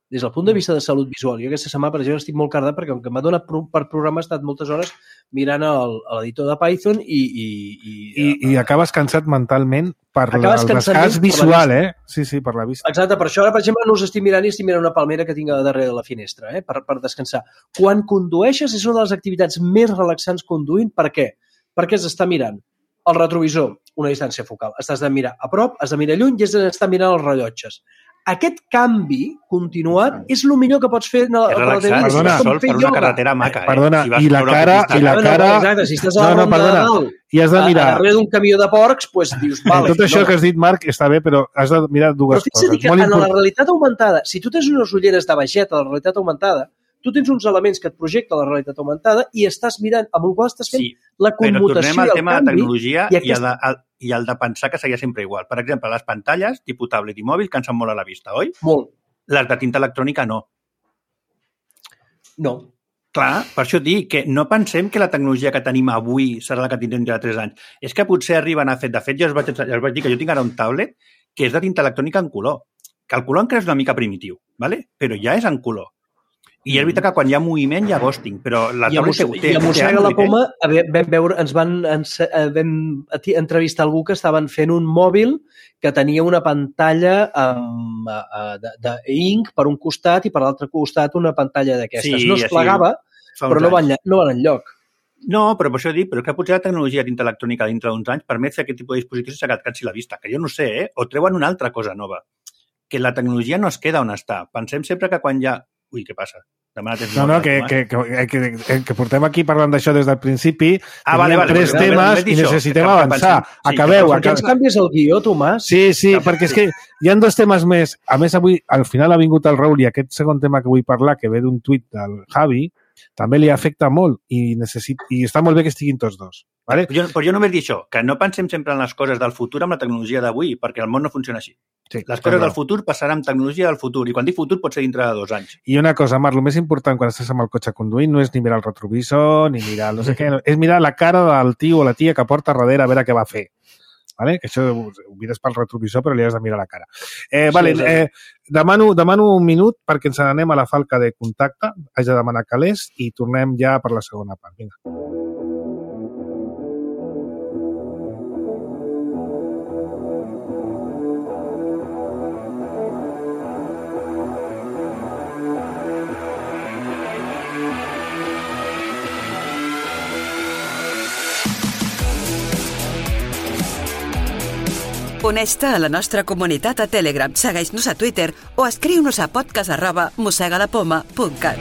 jo aquesta setmana, per exemple, estic molt cardat perquè com que m'ha donat per programa he estat moltes hores mirant l'editor de Python i acabes cansat mentalment per el desgast visual, Sí, per la vista. Exacte, per això ara, per exemple, no us estic mirant i estic mirant una palmera que tinc a darrere de la finestra, per descansar. Quan condueixes és una de les activitats més relaxants conduint. Per què? Perquè has d'estar mirant el retrovisor, una distància focal. Has de mirar a prop, has de mirar lluny i has d'estar mirant els rellotges. Aquest canvi continuat és el millor que pots fer és relaxant, sol per una carretera maca. Perdona, i la cara... Exacte, si estàs a la ronda de dalt i has de mirar... darrere d'un camió de porcs, doncs dius... Tot això que has dit, Marc, està bé, però has de mirar dues coses. Però fixa't que en la realitat augmentada, si tu tens unes ulleres de Vegeta de la realitat augmentada, tu tens uns elements que et projecta la realitat augmentada i estàs mirant, amb el qual estàs fent la commutació i el canvi. Però tornem al tema de tecnologia i el de pensar que seguia sempre igual. Per exemple, les pantalles, tipus tablet i mòbil, cansen molt a la vista, oi? Molt. Les de tinta electrònica no. No. Clar, per això dic que no pensem que la tecnologia que tenim avui serà la que tindrem ja 3 anys. És que potser arriben a fer... De fet, jo us vaig dir que jo tinc ara un tablet que és de tinta electrònica en color. Que el color encara és una mica primitiu, ¿vale? Però ja és en color. I és veritat que quan hi ha moviment hi ha ghosting, però la tablet té... I a Mossega la Poma vam entrevistar algú que estaven fent un mòbil que tenia una pantalla d'ink per un costat i per l'altre costat una pantalla d'aquestes. No es plegava, però no van enlloc. No, però per això dic, però que potser la tecnologia dintre electrònica dintre d'uns anys permet fer aquest tipus de dispositius sense que et cansi la vista, que jo no sé, o treuen una altra cosa nova. Que la tecnologia no es queda on està. Pensem sempre que quan hi ha... Ui, què passa? Que portem aquí parlant d'això des del principi. Teníem 3 temes i necessitem avançar. Acabeu. Per què ens canvies el guió, Tomàs? Sí, perquè és que hi ha 2 temes més. A més, avui, al final ha vingut el Raül i aquest segon tema que vull parlar, que ve d'un tuit del Javi, també li afecta molt i està molt bé que estiguin tots dos. Vale? Però jo només dic això, que no pensem sempre en les coses del futur amb la tecnologia d'avui, perquè el món no funciona així. Sí, les coses del futur passaran amb tecnologia del futur, i quan dic futur pot ser dintre de 2 anys. I una cosa, Marc, el més important quan estàs amb el cotxe conduint no és ni mirar el retrovisor, ni mirar no sé què, és mirar la cara del tio o la tia que porta darrere a veure què va fer. Vale? Que això ho mires pel retrovisor, però li has de mirar la cara. Demano un minut perquè ens anem a la falca de contacte, haig de demanar calés i tornem ja per la segona part. Vinga. Uneix-te a la nostra comunitat a Telegram, segueix-nos a Twitter o escriu-nos a podcast@mosegalapoma.cat.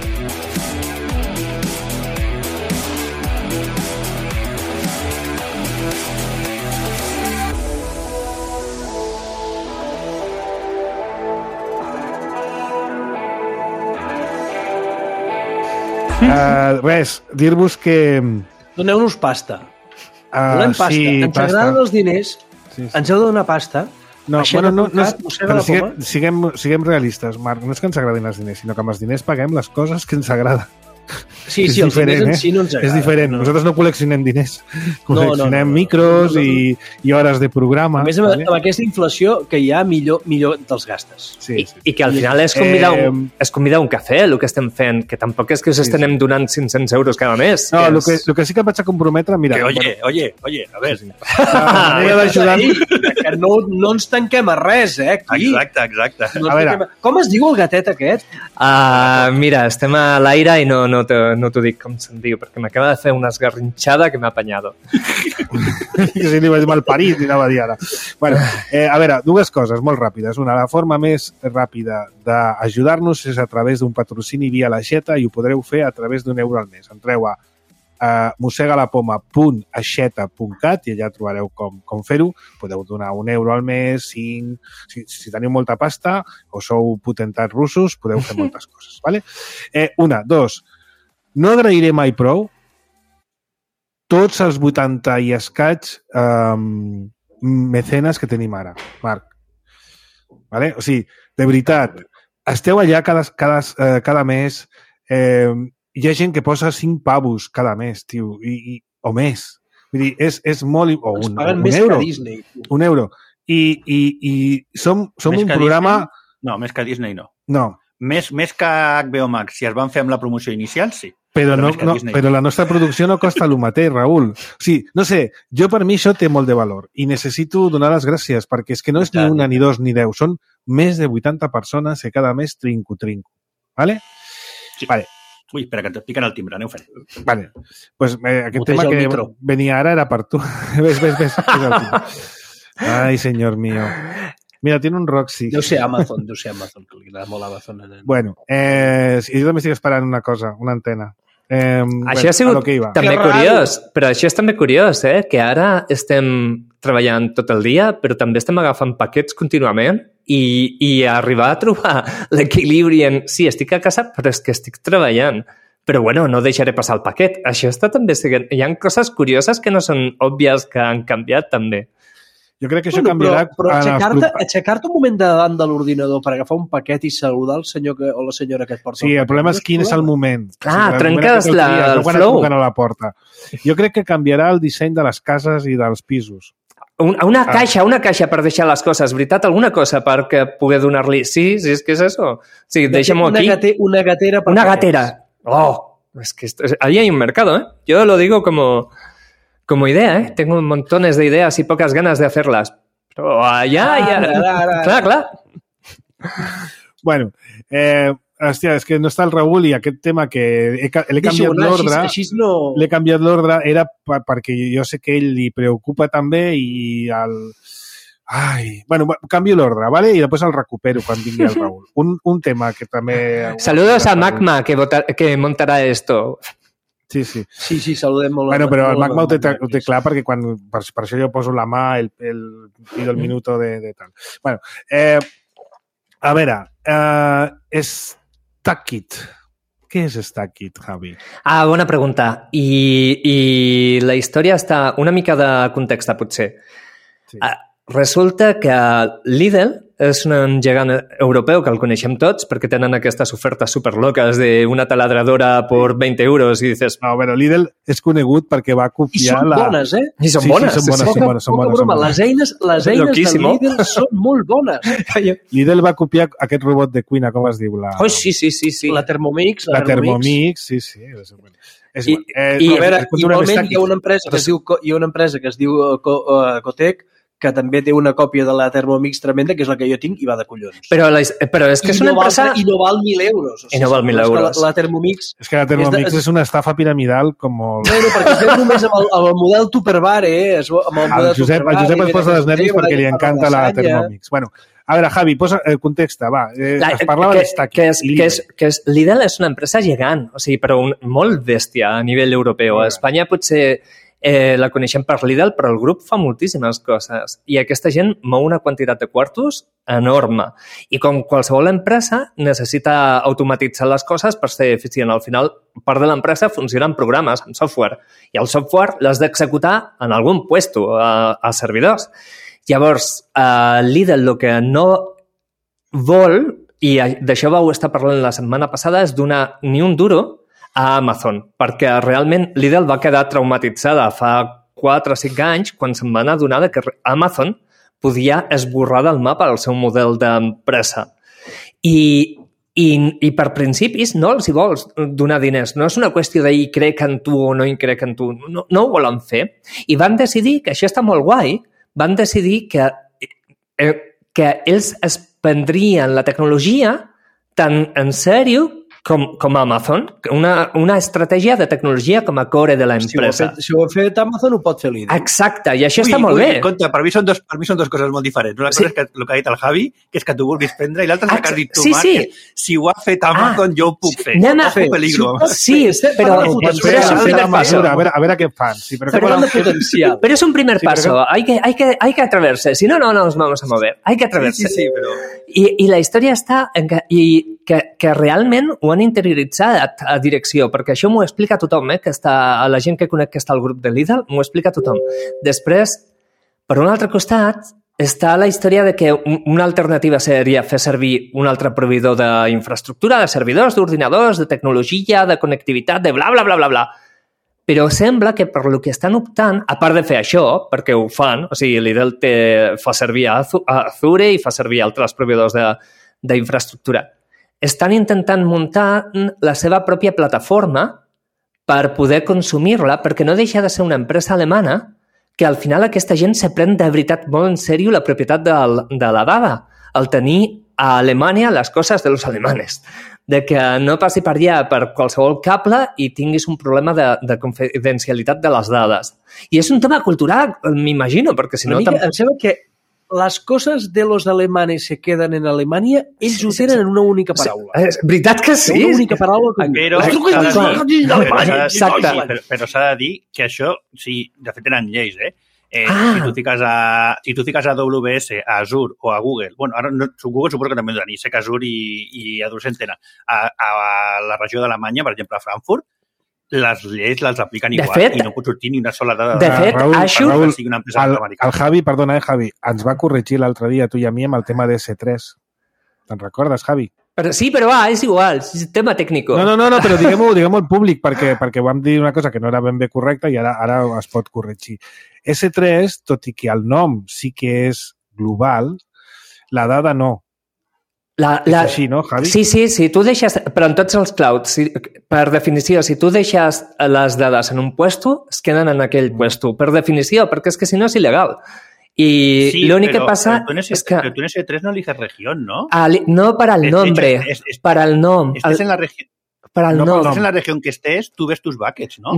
Res, dir-vos que... Doneu-nos pasta. Volem pasta. Sí, ens agraden els diners, ens heu de donar pasta. No, però siguem realistes, Marc. No és que ens agradin els diners, sinó que amb els diners paguem les coses que ens agraden. Sí, els diners en si no ens agraden. És diferent. Nosaltres no col·leccionem diners. Col·leccionem micros i hores de programa. A més, amb aquesta inflació que hi ha, millor te'ls gastes. I que al final és convidar un cafè, el que estem fent, que tampoc és que us estem donant 500 euros cada mes. No, el que sí que vaig a comprometre... Mira, Oye, a ver... La manera d'ajudar... Que no ens tanquem a res, aquí. Exacte. Com es diu el gatet aquest? Mira, estem a l'aire i no t'ho dic com se'n diu, perquè m'acaba de fer una esgarrinxada que m'ha apanyado. Que si li vaig mal parit, anava a dir ara. Bueno, a veure, 2 coses molt ràpides. Una, la forma més ràpida d'ajudar-nos és a través d'un patrocini via l'aixeta i ho podreu fer a través d'€1 al mes. Entreu a mosegalapoma.aixeta.cat i allà trobareu com fer-ho. Podeu donar €1 al mes, 5... Si teniu molta pasta o sou potentats russos, podeu fer moltes coses. Vale? 1, 2... No agrairé mai prou tots els 80 i escaig mecenes que tenim ara, Marc. Vale? O sigui, de veritat, esteu allà cada mes, hi ha gent que posa 5 pavos cada mes, tio, o més. Vull dir, és molt... O un euro. Disney. €1. I som un programa... Disney? No, més que Disney no. No. Més que HBO Max, si es van fer amb la promoció inicial, sí. Però la nostra producció no costa el mateix, Raül. O sigui, no sé, per mi això té molt de valor i necessito donar les gràcies perquè és que no és ni 1, ni 2, ni 10. Són més de 80 persones que cada mes trinco. Vale? Sí. Vale. Ui, espera, que et piquen el timbre, aneu fent. Vale. Pues aquest tema que venia ara era per tu. Ves. Ai, senyor mío. Mira, tiene un Roxy. Deu ser Amazon, que li agrada molt Amazon. Bueno, jo també estic esperant una cosa, una antena. Això ha sigut també curiós, però això és també curiós, que ara estem treballant tot el dia, però també estem agafant paquets contínuament i arribar a trobar l'equilibri en sí, estic a casa, però és que estic treballant. Però bueno, no deixaré passar el paquet. Això està també seguint. Hi ha coses curioses que no són òbvies que han canviat també. Jo crec que això canviarà... Però aixecar-te un moment davant de l'ordinador per agafar un paquet i saludar el senyor o la senyora que et porta... Sí, el problema és quin és el moment. Trenques el flow. A la porta. Jo crec que canviarà el disseny de les cases i dels pisos. Una caixa per deixar les coses, veritat? Alguna cosa per poder donar-li... Sí, és que és això. Sí, deixem-ho aquí. Una gatera. Una gatera. Oh, es que ahí hay un mercado, Yo lo digo como idea, Tengo montones de ideas y pocas ganas de hacerlas. Pero allá... Clar. Bueno, hòstia, és que no està el Raül i aquest tema que l'he canviat l'ordre. L'he canviat l'ordre, era perquè jo sé que ell li preocupa també i bueno, canvio l'ordre, ¿vale? I després el recupero quan vingui el Raül. Un tema que també... Saludos a Magma, que montarà esto. Sí. Sí, saludem molt. Bueno, però el Magma ho té clar perquè per això jo poso la mà, pido el minuto de tal. Bueno, a veure, Stackit. Què és StackIt, Javi? Bona pregunta. I la història està una mica de context, potser. Sí. Resulta que Lidl és un gegant europeu que el coneixem tots perquè tenen aquestes ofertes superloques d'una taladradora per 20 euros i dices... No, però Lidl és conegut perquè va copiar I són bones, eh? I són bones. Són bones. Les eines de Lidl són molt bones. Lidl va copiar aquest robot de cuina, com es diu? Sí. La Thermomix. La Thermomix, sí. Igualment hi ha una empresa que es diu Cotec, que també té una còpia de la Thermomix tremenda, que és la que jo tinc, i va de collons. Però és que és una empresa... I no val 1.000 euros. I no val 1.000 euros. La Thermomix... És que la Thermomix és una estafa piramidal com... Bueno, perquè es veu només amb el model Tupperware, eh? El Josep es posa dels nervis perquè li encanta la Thermomix. Bueno, a veure, Javi, posa el context, va. Es parlava d'Stackit. Lidl és una empresa gegant, o sigui, però molt bèstia a nivell europeu. A Espanya potser... la coneixem per Lidl, però el grup fa moltíssimes coses i aquesta gent mou una quantitat de quartos enorme. I com qualsevol empresa necessita automatitzar les coses per ser eficient. Al final, part de l'empresa funciona en programes, en software, i el software l'has d'executar en algun puesto, a servidors. Llavors, Lidl el que no vol, i d'això vau estar parlant la setmana passada, és donar ni un duro a Amazon, perquè realment Lidl va quedar traumatitzada fa 4 o 5 anys quan se'n va adonar que Amazon podia esborrar del mapa el seu model d'empresa. I per principis no els hi vols donar diners. No és una qüestió de hi crec en tu o no hi crec en tu. No ho volen fer. I van decidir, que això està molt guai, van decidir que ells es prendrien la tecnologia tan en sèrio com Amazon, una estratègia de tecnologia com a core de l'empresa. Si ho ha fet Amazon, ho pot fer Lidl. Exacte, i això està molt bé. Compte, per mi són dos coses molt diferents. Una cosa és el que ha dit el Javi, que és que tu vulguis prendre, i l'altra és el que has dit tu, Marc, que si ho ha fet Amazon, jo ho puc fer. Ojo peligro. Sí, però és un primer paso. A veure què fan. Pero es un primer paso. Hay que atreverse. Si no nos vamos a mover. Hay que atreverse. Sí, però... I la història està en que realment ho han interioritzat a direcció, perquè això m'ho explica tothom, que està, la gent que conec que està al grup de Lidl, m'ho explica tothom. Després, per un altre costat, està la història de que una alternativa seria fer servir un altre proveïdor d'infraestructura, de servidors, d'ordinadors, de tecnologia, de connectivitat, de bla, bla, bla, bla, bla. Però sembla que per lo que estan optant, a part de fer això, perquè ho fan, o sigui, Lidl fa servir Azure i fa servir altres proveïdors d'infraestructura, estan intentant muntar la seva pròpia plataforma per poder consumir-la, perquè no deixa de ser una empresa alemana que al final aquesta gent se pren de veritat molt en sèrio la propietat de la dada, el tenir a Alemanya les coses de los alemanes, de que no passi per allà per qualsevol cable i tinguis un problema de confidencialitat de les dades. I és un tema cultural, m'imagino, perquè si no... Em sembla que les coses de los alemanes se queden en Alemanya, ells ho tenen en una única paraula. És veritat que sí. Una única paraula. Però s'ha de dir que això, sí, de fet tenen lleis, si tu fiques a AWS, a Azure o a Google, bueno, ara Google suposo que també ho tenen, sé que Azure i AWS en tenen, a la regió d'Alemanya, per exemple, a Frankfurt, les lleis les apliquen igual, fet, i no pot sortir ni una sola dada. De fet, Raül, el Javi, perdona, Javi, ens va corregir l'altre dia, tu i a mi, amb el tema de S3. Te'n recordes, Javi? Sí, però és igual, és tema tècnic. No, però diguem-ho en públic, perquè vam dir una cosa que no era ben bé correcta i ara es pot corregir. S3, tot i que el nom sí que és global, la dada no. És així, no, Javi? Sí, tu deixes... Però en tots els clouds, per definició, si tu deixes les dades en un puesto, es queden en aquell puesto. Per definició, perquè és que si no és il·legal. Y lo único que pasa es que... Pero tú en S3 no eliges región, ¿no? No para el nombre, para el nom. Estés en la región... Per al nom. En la regió que estés, tu ves tus buckets, no?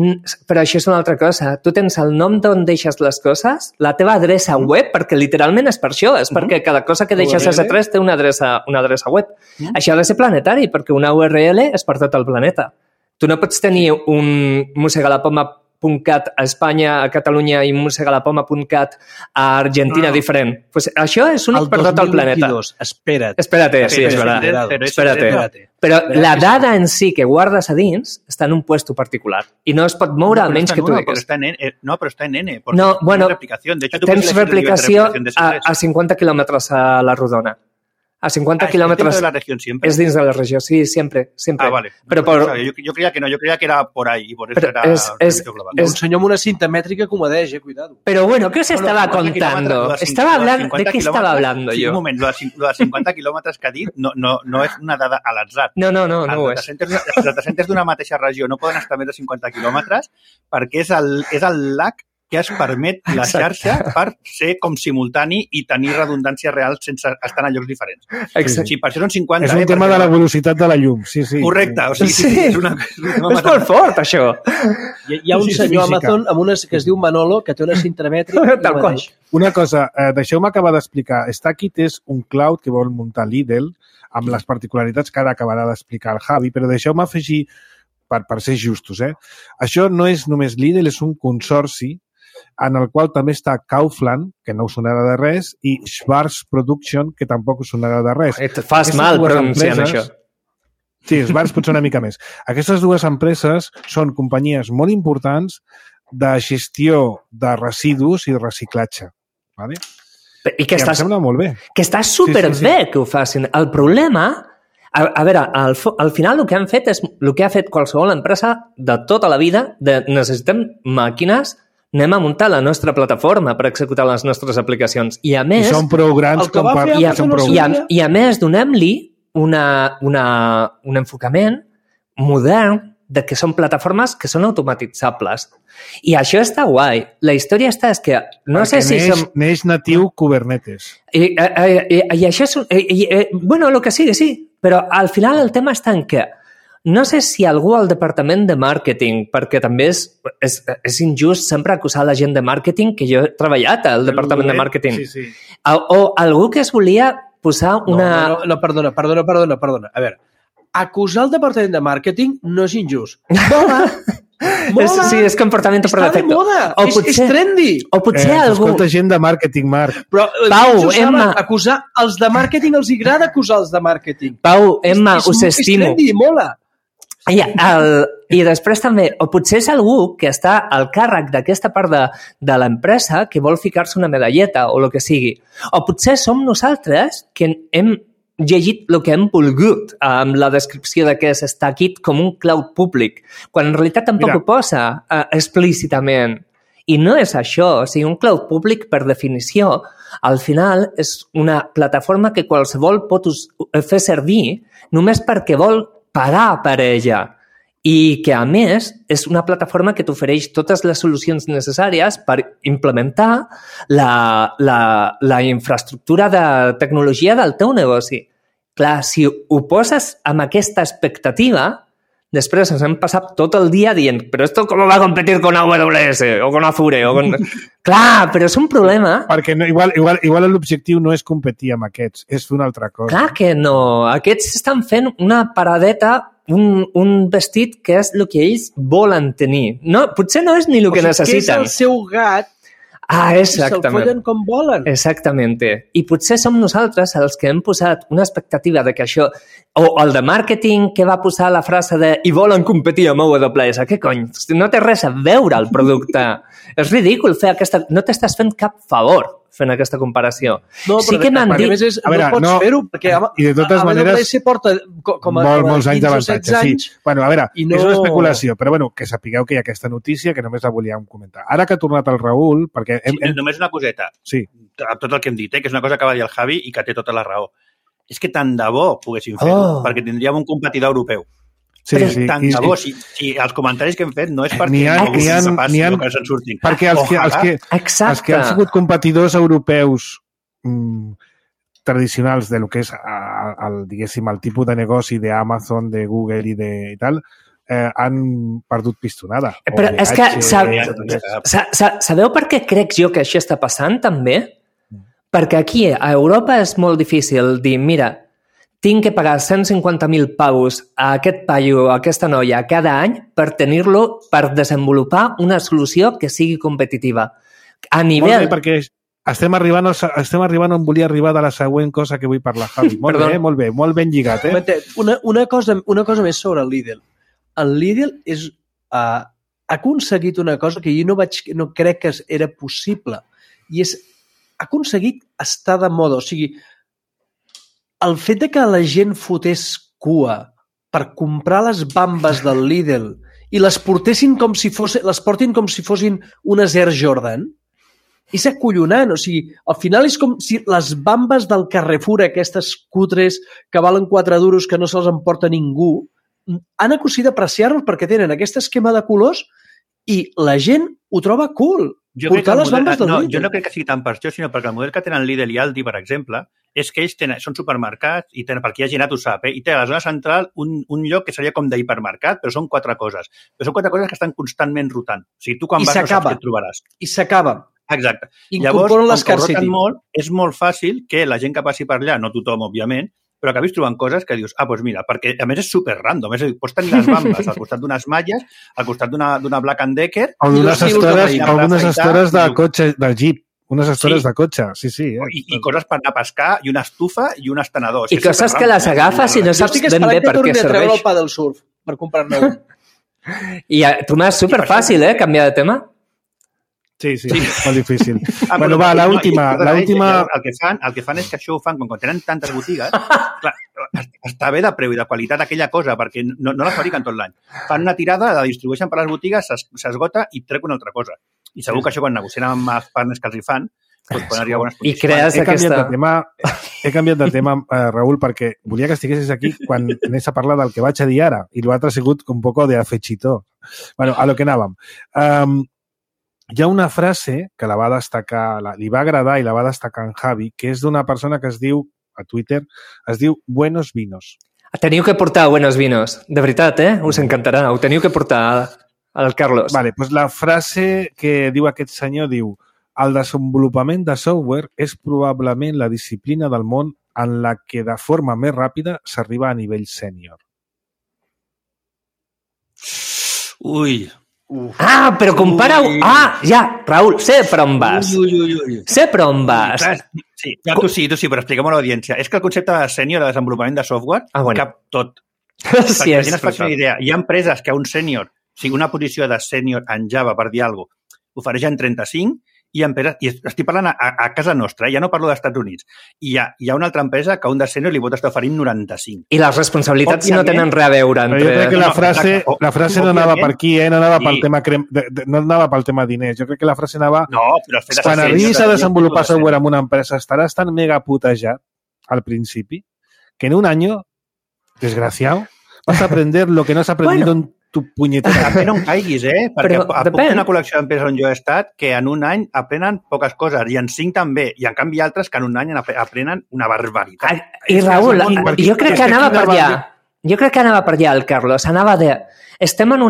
Però això és una altra cosa. Tu tens el nom d'on deixes les coses, la teva adreça web, perquè literalment és per això, és perquè cada cosa que deixes a S3 té una adreça web. Això ha de ser planetari, perquè una URL és per tot el planeta. Tu no pots tenir un mossegar la poma .cat a Espanya, a Catalunya i musegalapoma.cat a Argentina diferent. Pues això és únic per tot el planeta. Espérate, sí, és veritat. Espérate. Però la dada en si que guardes a dins està en un puesto particular i no es pot moure a menys que tu digues. No, però està en N. No, bueno, tens replicació a 50 quilòmetres a la rodona. A 50 quilòmetres... ¿Es dentro de la región siempre? Es dins de la regió, sí, siempre. Ah, vale. Pero yo creía que no, yo creía que era por ahí y por eso era global. Un senyor amb una cinta mètrica que ho medeix, cuidado. Pero bueno, ¿qué os estaba contando? Estaba hablando... ¿De qué estaba hablando sí, yo? Un moment, lo de 50 quilòmetres que ha dit no és una dada a l'atzar. No ho és. Els data centers d'una mateixa regió no poden estar més de 50 quilòmetres perquè és el lag que es permet la xarxa per ser com simultani i tenir redundància real sense estar en llocs diferents. Exacte. Sí, per això són 50... És un tema de la velocitat de la llum, sí. Correcte, o sigui, sí. És molt fort, això. Hi ha un senyor a Amazon amb una que es diu Manolo, que té una cinta mètrica. Tal qual. Una cosa, deixeu-me acabar d'explicar. Stackit és un cloud que vol muntar Lidl amb les particularitats que ara acabarà d'explicar el Javi, però deixeu-me afegir, per ser justos, això no és només Lidl, és un consorci en el qual també està Kaufland, que no us sonarà de res, i Schwarz Production, que tampoc us sonarà de res. Et fas mal pronunciant això. Sí, Schwarz potser una mica més. Aquestes dues empreses són companyies molt importants de gestió de residus i de reciclatge. Vale? I que em sembla molt bé. Que està superbé que ho facin. El problema... A veure, al final el que han fet és el que ha fet qualsevol empresa de tota la vida, de necessitem màquines, anem a muntar la nostra plataforma per executar les nostres aplicacions. I a més... I són prou grans com per... I a més, donem-li un enfocament modern de que són plataformes que són automatitzables. I això està guai. La història és que... No sé si neix natiu Kubernetes. I això és... Bueno, el que sigui, sí. Però al final el tema està en què no sé si algú al departament de màrqueting, perquè també és injust sempre acusar la gent de màrqueting, que jo he treballat al departament de màrqueting. Sí. O algú que es volia posar una... No, perdona. A veure, acusar el departament de màrqueting no és injust. Mola! Sí, és comportament per defecte. Està de moda, és trendy. O potser algú... Escolta gent de màrqueting, Marc. Però, Pau, Emma... Acusar els de màrqueting els agrada acusar els de màrqueting. Pau, Emma, us estimo. És trendy, mola. I després també, o potser és algú que està al càrrec d'aquesta part de l'empresa que vol ficar-se una medalleta o el que sigui. O potser som nosaltres que hem llegit el que hem volgut amb la descripció de què és Stackit com un cloud públic, quan en realitat tampoc ho posa explícitament. I no és això. O sigui, un cloud públic, per definició, al final és una plataforma que qualsevol pot fer servir només perquè vol pagar per ella i que, a més, és una plataforma que t'ofereix totes les solucions necessàries per implementar la infraestructura de tecnologia del teu negoci. Clar, si ho poses amb aquesta expectativa, després ens hem passat tot el dia dient però esto com va a competir con AWS o con Azure o con... Clar, però és un problema. Perquè no, igual l'objectiu no és competir amb aquests, és fer una altra cosa. Clar que no. Aquests estan fent una paradeta, un vestit que és el que ells volen tenir. No, potser no és ni el que necessiten. Que és el seu gat. Exactament. I se'l follen com volen. Exactament. I potser som nosaltres els que hem posat una expectativa de que això... O el de màrqueting que va posar la frase de i volen competir amb AWS. Què cony? No té res a veure el producte. És ridícul fer aquesta... No t'estàs fent cap favor fent aquesta comparació. No, sí que m'han dit... A més, no pots fer-ho, perquè i de totes maneres, AWS porta com a molts anys d'avantatge. Sí. Bueno, a veure, no... és una especulació, però bueno, que sapigueu que hi ha aquesta notícia que només la volíem comentar. Ara que ha tornat el Raül, perquè... Només una coseta. Sí. Tot el que hem dit, que és una cosa que va dir el Javi i que té tota la raó. És que tant de bo poguéssim fer-ho, perquè tindríem un competidor europeu. Sí. Tant de bo, si els comentaris que hem fet no és perquè no passi o que se'n surtin. Perquè els que han sigut competidors europeus tradicionals de lo que és diguéssim, el tipus de negoci d'Amazon, de Google i tal, han perdut pistonada. Però és que sabeu per què crec jo que això està passant també? Perquè aquí a Europa és molt difícil dir, mira, tinc que pagar 150.000 paus a aquest paio o a aquesta noia cada any per tenir-lo, per desenvolupar una solució que sigui competitiva. A nivell... Molt bé, perquè estem arribant on volia arribar de la següent cosa que vull parlar, Javi. Molt bé, molt ben lligat, eh? Una cosa més sobre el Lidl. El Lidl ha aconseguit una cosa que jo no crec que era possible, i ha aconseguit estar de moda. O sigui, el fet de que la gent fotés cua per comprar les bambes del Lidl i les portin com si fossin unes Air Jordan, és acollonant. O sigui, al final és com si les bambes del Carrefour, aquestes cutres que valen 4 duros que no se'ls emporta ningú, han aconseguit apreciar-los perquè tenen aquest esquema de colors i la gent ho troba cool. Portar les bambes del Lidl. Jo no crec que sigui tant per això, sinó perquè el model que tenen Lidl i Aldi, per exemple, és que ells són supermercats i tenen, perquè hi ha gent ho sap, i té a la zona central un lloc que seria com d'hipermercat, però són 4 coses. Però són 4 coses que estan constantment rotant. O sigui, tu quan vas no saps què et trobaràs. I s'acaba. Exacte. Llavors, com que roten molt, és molt fàcil que la gent que passi per allà, no tothom, òbviament, però acabis trobant coses que dius, doncs mira, perquè a més és super random, és a dir, pots tenir les bambes al costat d'unes malles, al costat d'una Black & Decker... O d'unes estores de cotxe, del Jeep, unes estores de cotxe, sí. I coses per anar a pescar, i una estufa, i un estenedor. I coses que les agafes i no saps ben bé per què serveix. Jo estic esperant que torni a treure el pa del surf per comprar-ne un. I tu m'has superfàcil, canviar de tema? Sí, molt difícil. Bueno, va, l'última... El que fan és que això ho fan quan tenen tantes botigues, clar, està bé de preu i de qualitat aquella cosa, perquè no la fabriquen tot l'any. Fan una tirada, la distribueixen per les botigues, s'esgota i trec una altra cosa. I segur que això quan negocien amb els partners que els hi fan, doncs poden arribar a bones posicions. I crees aquesta... He canviat de tema, Raül, perquè volia que estiguessis aquí quan anés a parlar del que vaig a dir ara, i l'altre ha sigut un poco de afegitó. Bueno, a lo que anàvem. Hi ha una frase que la va destacar, li va agradar i la va destacar en Javi, que és d'una persona que es diu, a Twitter, es diu Buenos Vinos. Teniu que portar Buenos Vinos. De veritat, us encantarà. Ho teniu que portar al Carlos. Vale, doncs la frase que diu aquest senyor diu: el desenvolupament de software és probablement la disciplina del món en la que de forma més ràpida s'arriba a nivell sènior. Ui... però compara-ho... Ja, Raül, sé per on vas. Sé per on vas. Sí, tu sí, però expliquem a l'audiència. És que el concepte de sènior, de desenvolupament de software, cap tot. Perquè la gent es faci una idea. Hi ha empreses que un sènior, o sigui, una posició de sènior en Java, per dir alguna cosa, ofereixen 35, i estic parlant a casa nostra, ja no parlo dels Estats Units. I hi ha una altra empresa que un de sènior li pot estar oferint 95. I les responsabilitats no tenen res a veure entre... Jo crec que la frase no anava per aquí, no anava pel tema no anava pel tema diners. Jo crec que la frase anava... Quan arribis a desenvolupar software en una empresa estaràs tan mega putejat al principi que en un año, desgraciado, vas a aprender lo que no has aprendido en tu punyetera. També no en caiguis, perquè puc tenir una col·lecció d'empreses on jo he estat que en un any aprenen poques coses, i en 5 també, i en canvi altres que en un any aprenen una barbaritat. I Raül, jo crec que anava per allà. Jo crec que anava per allà el Carlos. Anava de... Estem en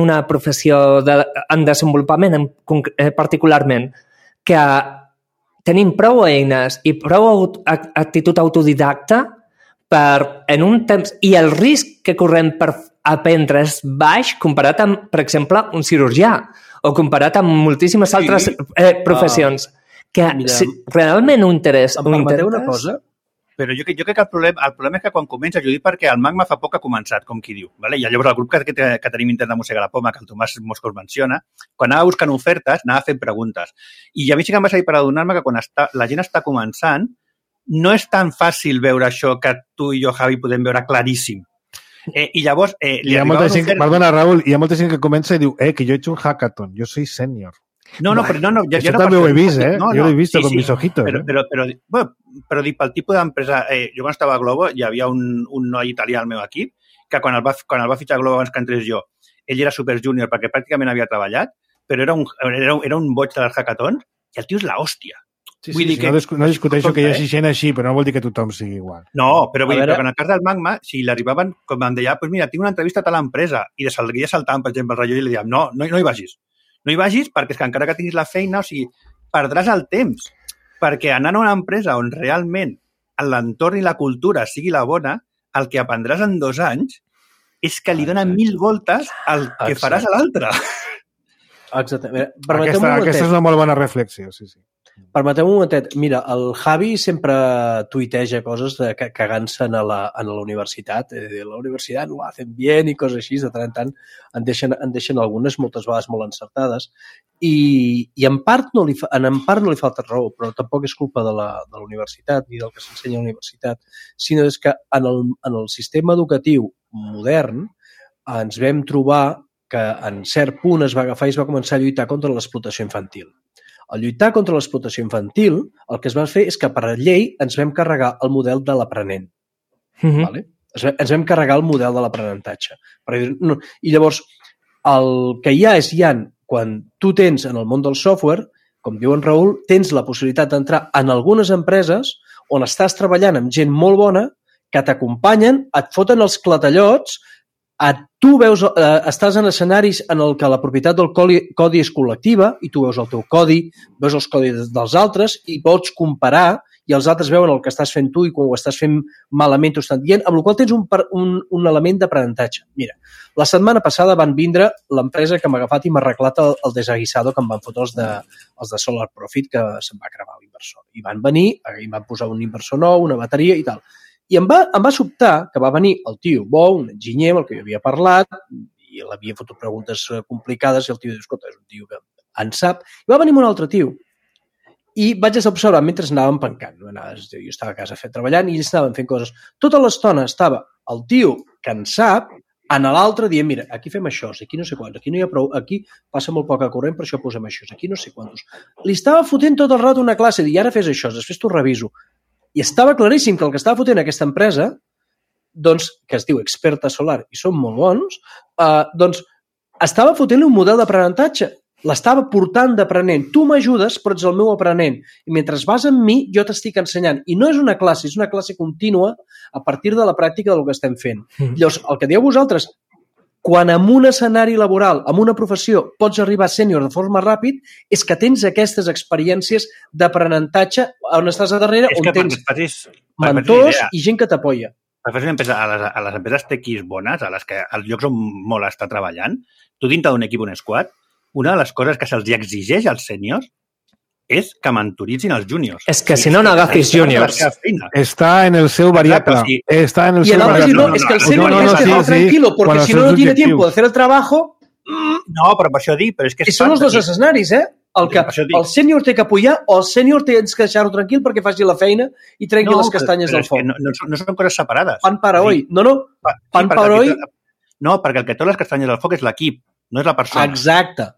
una professió en desenvolupament particularment que tenim prou eines i prou actitud autodidacta per en un temps... I el risc que correm per aprendre és baix comparat amb, per exemple, un cirurgià o comparat amb moltíssimes altres professions que realment ho interessa. Em permeteu una cosa? Però jo crec que el problema és que quan comença, jo dic perquè el Magma fa poc ha començat, com qui diu. Vale? I llavors el grup que tenim intern de Mossega la Poma, que el Tomàs Moscos menciona, quan anava buscant ofertes, anava fent preguntes. I a mi sí que em va servir per adonar-me que quan la gent està començant, no és tan fàcil veure això que tu i jo, Javi, podem veure claríssim. I llavors... Perdona, Raül, hi ha molta gent que comença i diu que jo he hecho un hackathon, jo soy senior. No, això també ho he vist, jo ho he vist con mis ojitos. Però dic, pel tipus d'empresa... Jo quan estava a Globo hi havia un noi italià al meu equip que quan el va fitxar a Globo abans que entrés jo, ell era super junior perquè pràcticament havia treballat, però era un boig de les hackathons i el tio és l'hòstia. No discuteixo que hi hagi gent així, però no vol dir que tothom sigui igual. No, però vull dir que en el cas del Magma, si l'arribaven, com em deia, doncs mira, tinc una entrevista a tal empresa, i de seguia saltant, per exemple, el rellotge i li dèiem, no hi vagis. No hi vagis perquè és que encara que tinguis la feina, o sigui, perdràs el temps. Perquè anant a una empresa on realment l'entorn i la cultura sigui la bona, el que aprendràs en 2 anys és que li dona 1000 voltes al que faràs a l'altre. Exactament. Aquesta és una molt bona reflexió, sí. Permeteu un momentet. Mira, el Javi sempre tuiteja coses cagant-se a la universitat. La universitat no ho hacen bien i coses així. De tant en tant en deixen algunes, moltes vegades molt encertades. I en part no li falta raó, però tampoc és culpa de la universitat ni del que s'ensenya a la universitat, sinó és que en el sistema educatiu modern ens vam trobar que en cert punt es va agafar i es va començar a lluitar contra l'explotació infantil. Al lluitar contra l'explotació infantil, el que es va fer és que per llei ens vam carregar el model de l'aprenent. Vale? Ens vam carregar el model de l'aprenentatge. I llavors, el que hi ha és quan tu tens en el món del software, com diu en Raül, tens la possibilitat d'entrar en algunes empreses on estàs treballant amb gent molt bona, que t'acompanyen, et foten els clatellots, tu estàs en escenaris en el que la propietat del codi és col·lectiva i tu veus el teu codi, veus els codis dels altres i pots comparar i els altres veuen el que estàs fent tu i quan ho estàs fent malament t'ho estan dient, amb la qual cosa tens un element d'aprenentatge. Mira, la setmana passada van vindre l'empresa que m'ha agafat i m'ha arreglat el desaguisado que em van fotre els de Solar Profit, que se'n va cremar l'inversor. I van venir, i van posar un inversor nou, una bateria i tal. I em va sobtar que va venir el tio bo, un enginyer amb el que jo havia parlat, i l'havia fotut preguntes complicades i el tio diu, escolta, és un tio que en sap. I va venir un altre tio. I vaig estar observant mentre anàvem pencant. Jo estava a casa treballant i ells estaven fent coses. Tota l'estona estava el tio que en sap en l'altre dient, mira, aquí fem això, aquí no sé quants, aquí no hi ha prou, aquí passa molt poca corrent, per això posem això, aquí no sé quants. Li estava fotent tot el rato una classe, i ara fes això, després t'ho reviso. I estava claríssim que el que estava fotent aquesta empresa, doncs, que es diu Experta Solar i són molt bons, doncs estava fotent-li un model d'aprenentatge. L'estava portant d'aprenent. Tu m'ajudes, però ets el meu aprenent. I mentre vas amb mi, jo t'estic ensenyant. I no és una classe, és una classe contínua a partir de la pràctica del que estem fent. Llavors, el que dieu vosaltres, quan en un escenari laboral, en una professió, pots arribar a sènior de forma ràpid, és que tens aquestes experiències d'aprenentatge on estàs a darrere, on tens mentors i gent que t'apoya. Per fer una empresa, a les empreses tequis bones, a les que els llocs on molt està treballant, tu dintre d'un equip, un squad, una de les coses que se'ls exigeix als sèniors és que mentoritzin els júniors. És que si no agafis júniors. Està en el seu variable. Está en el seu variable. No, es que el sènior es que va tranquilo, porque si no tiene tiempo de hacer el trabajo... No, però per això dic... I són els dos escenaris, el sènior té que apoyar o el sènior tens que deixar-ho tranquil perquè faci la feina i trenqui les castanyes del foc. No són coses separades. Pan para hoy. Pan para hoy... No, perquè el que té les castanyes del foc és l'equip, no és la persona. Exacte.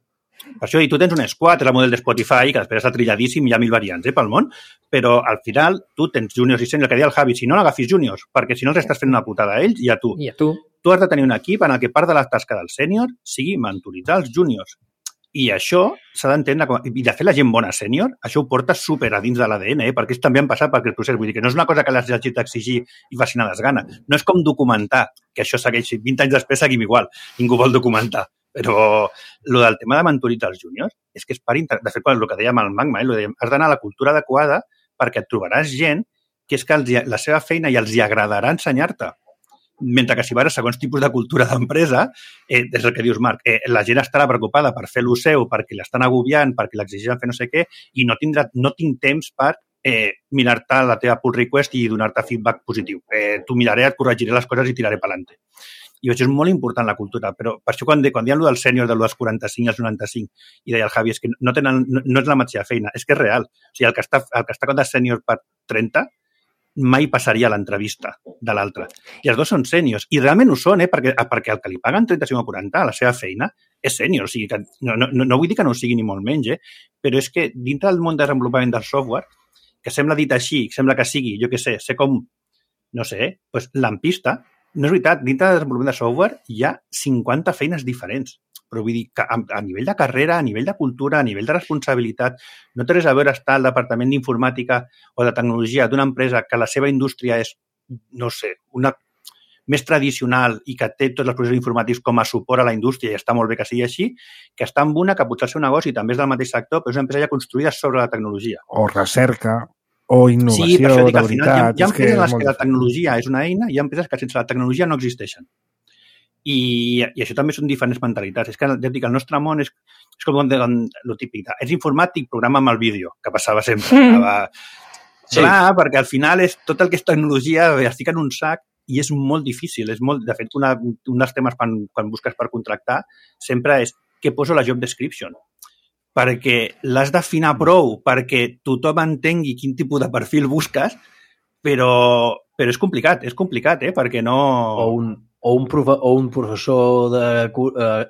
Per això, i tu tens un squad, és el model de Spotify, que després està trilladíssim, hi ha 1000 variants pel món, però al final tu tens júniors i sèniors, el que deia el Javi, si no l'agafis júniors, perquè si no els estàs fent una putada a ells i a tu. Tu has de tenir un equip en el que part de la tasca del sènior sigui mentoritzar els júniors. I això s'ha d'entendre, i de fer la gent bona sènior, això ho porta super a dins de l'ADN, perquè ells també han passat per aquest procés. Vull dir que no és una cosa que les hagis d'exigir i facin a desgana. No és com documentar, que això segueixi. 20 anys després seguim igual. Ningú vol documentar. Però el del tema de mentoritzar els júniors és que és per... De fet, el que dèiem al Magma, has d'anar a la cultura adequada perquè et trobaràs gent que és que la seva feina i els hi agradarà ensenyar-te. Mentre que si vas a segons tipus de cultura d'empresa, és el que dius, Marc, la gent estarà preocupada per fer-lo seu, perquè l'estan agobiant, perquè l'exigeixen fer no sé què, i no tinc temps per mirar-te la teva pull request i donar-te feedback positiu. T'ho miraré, et corregiré les coses i tiraré pelante. I això és molt important, la cultura, però per això quan diuen allò del sènior, dels 45 als 95, i deia el Javi, és que no és la mateixa feina, és que és real. O sigui, el que està de sènior per 30 mai passaria a l'entrevista de l'altre. I els dos són sèniors. I realment ho són, perquè el que li paguen 35 o 40 a la seva feina és sènior. O sigui, que no vull dir que no ho sigui ni molt menys, però és que dintre del món de desenvolupament del software, que sembla dit així, sembla que sigui, jo què sé, ser com, no sé, doncs lampista, no és veritat, dintre del desenvolupament de software hi ha 50 feines diferents. Però vull dir que a nivell de carrera, a nivell de cultura, a nivell de responsabilitat, no té res a veure estar al departament d'informàtica o de tecnologia d'una empresa que la seva indústria és, no sé, una més tradicional i que té tots els processos informàtics com a suport a la indústria i està molt bé que sigui així, que està en una que potser el seu negoci també és del mateix sector, però és una empresa ja construïda sobre la tecnologia. O recerca. o innovació, sí, per això dic, de al final, veritat. hi ha empreses en les que la tecnologia és una eina i hi ha empreses que sense la tecnologia no existeixen. I això també són diferents mentalitats. És que, ja dic, el nostre món és com el típic. És informàtic, programa amb el vídeo, que passava sempre. Sí. Clar, perquè al final és tot el que és tecnologia es fica en un sac i és molt difícil. De fet, un dels temes quan busques per contractar sempre és què poso la job description. Perquè l'has d'afinar prou perquè tothom entengui quin tipus de perfil busques, però és complicat, perquè no... O un professor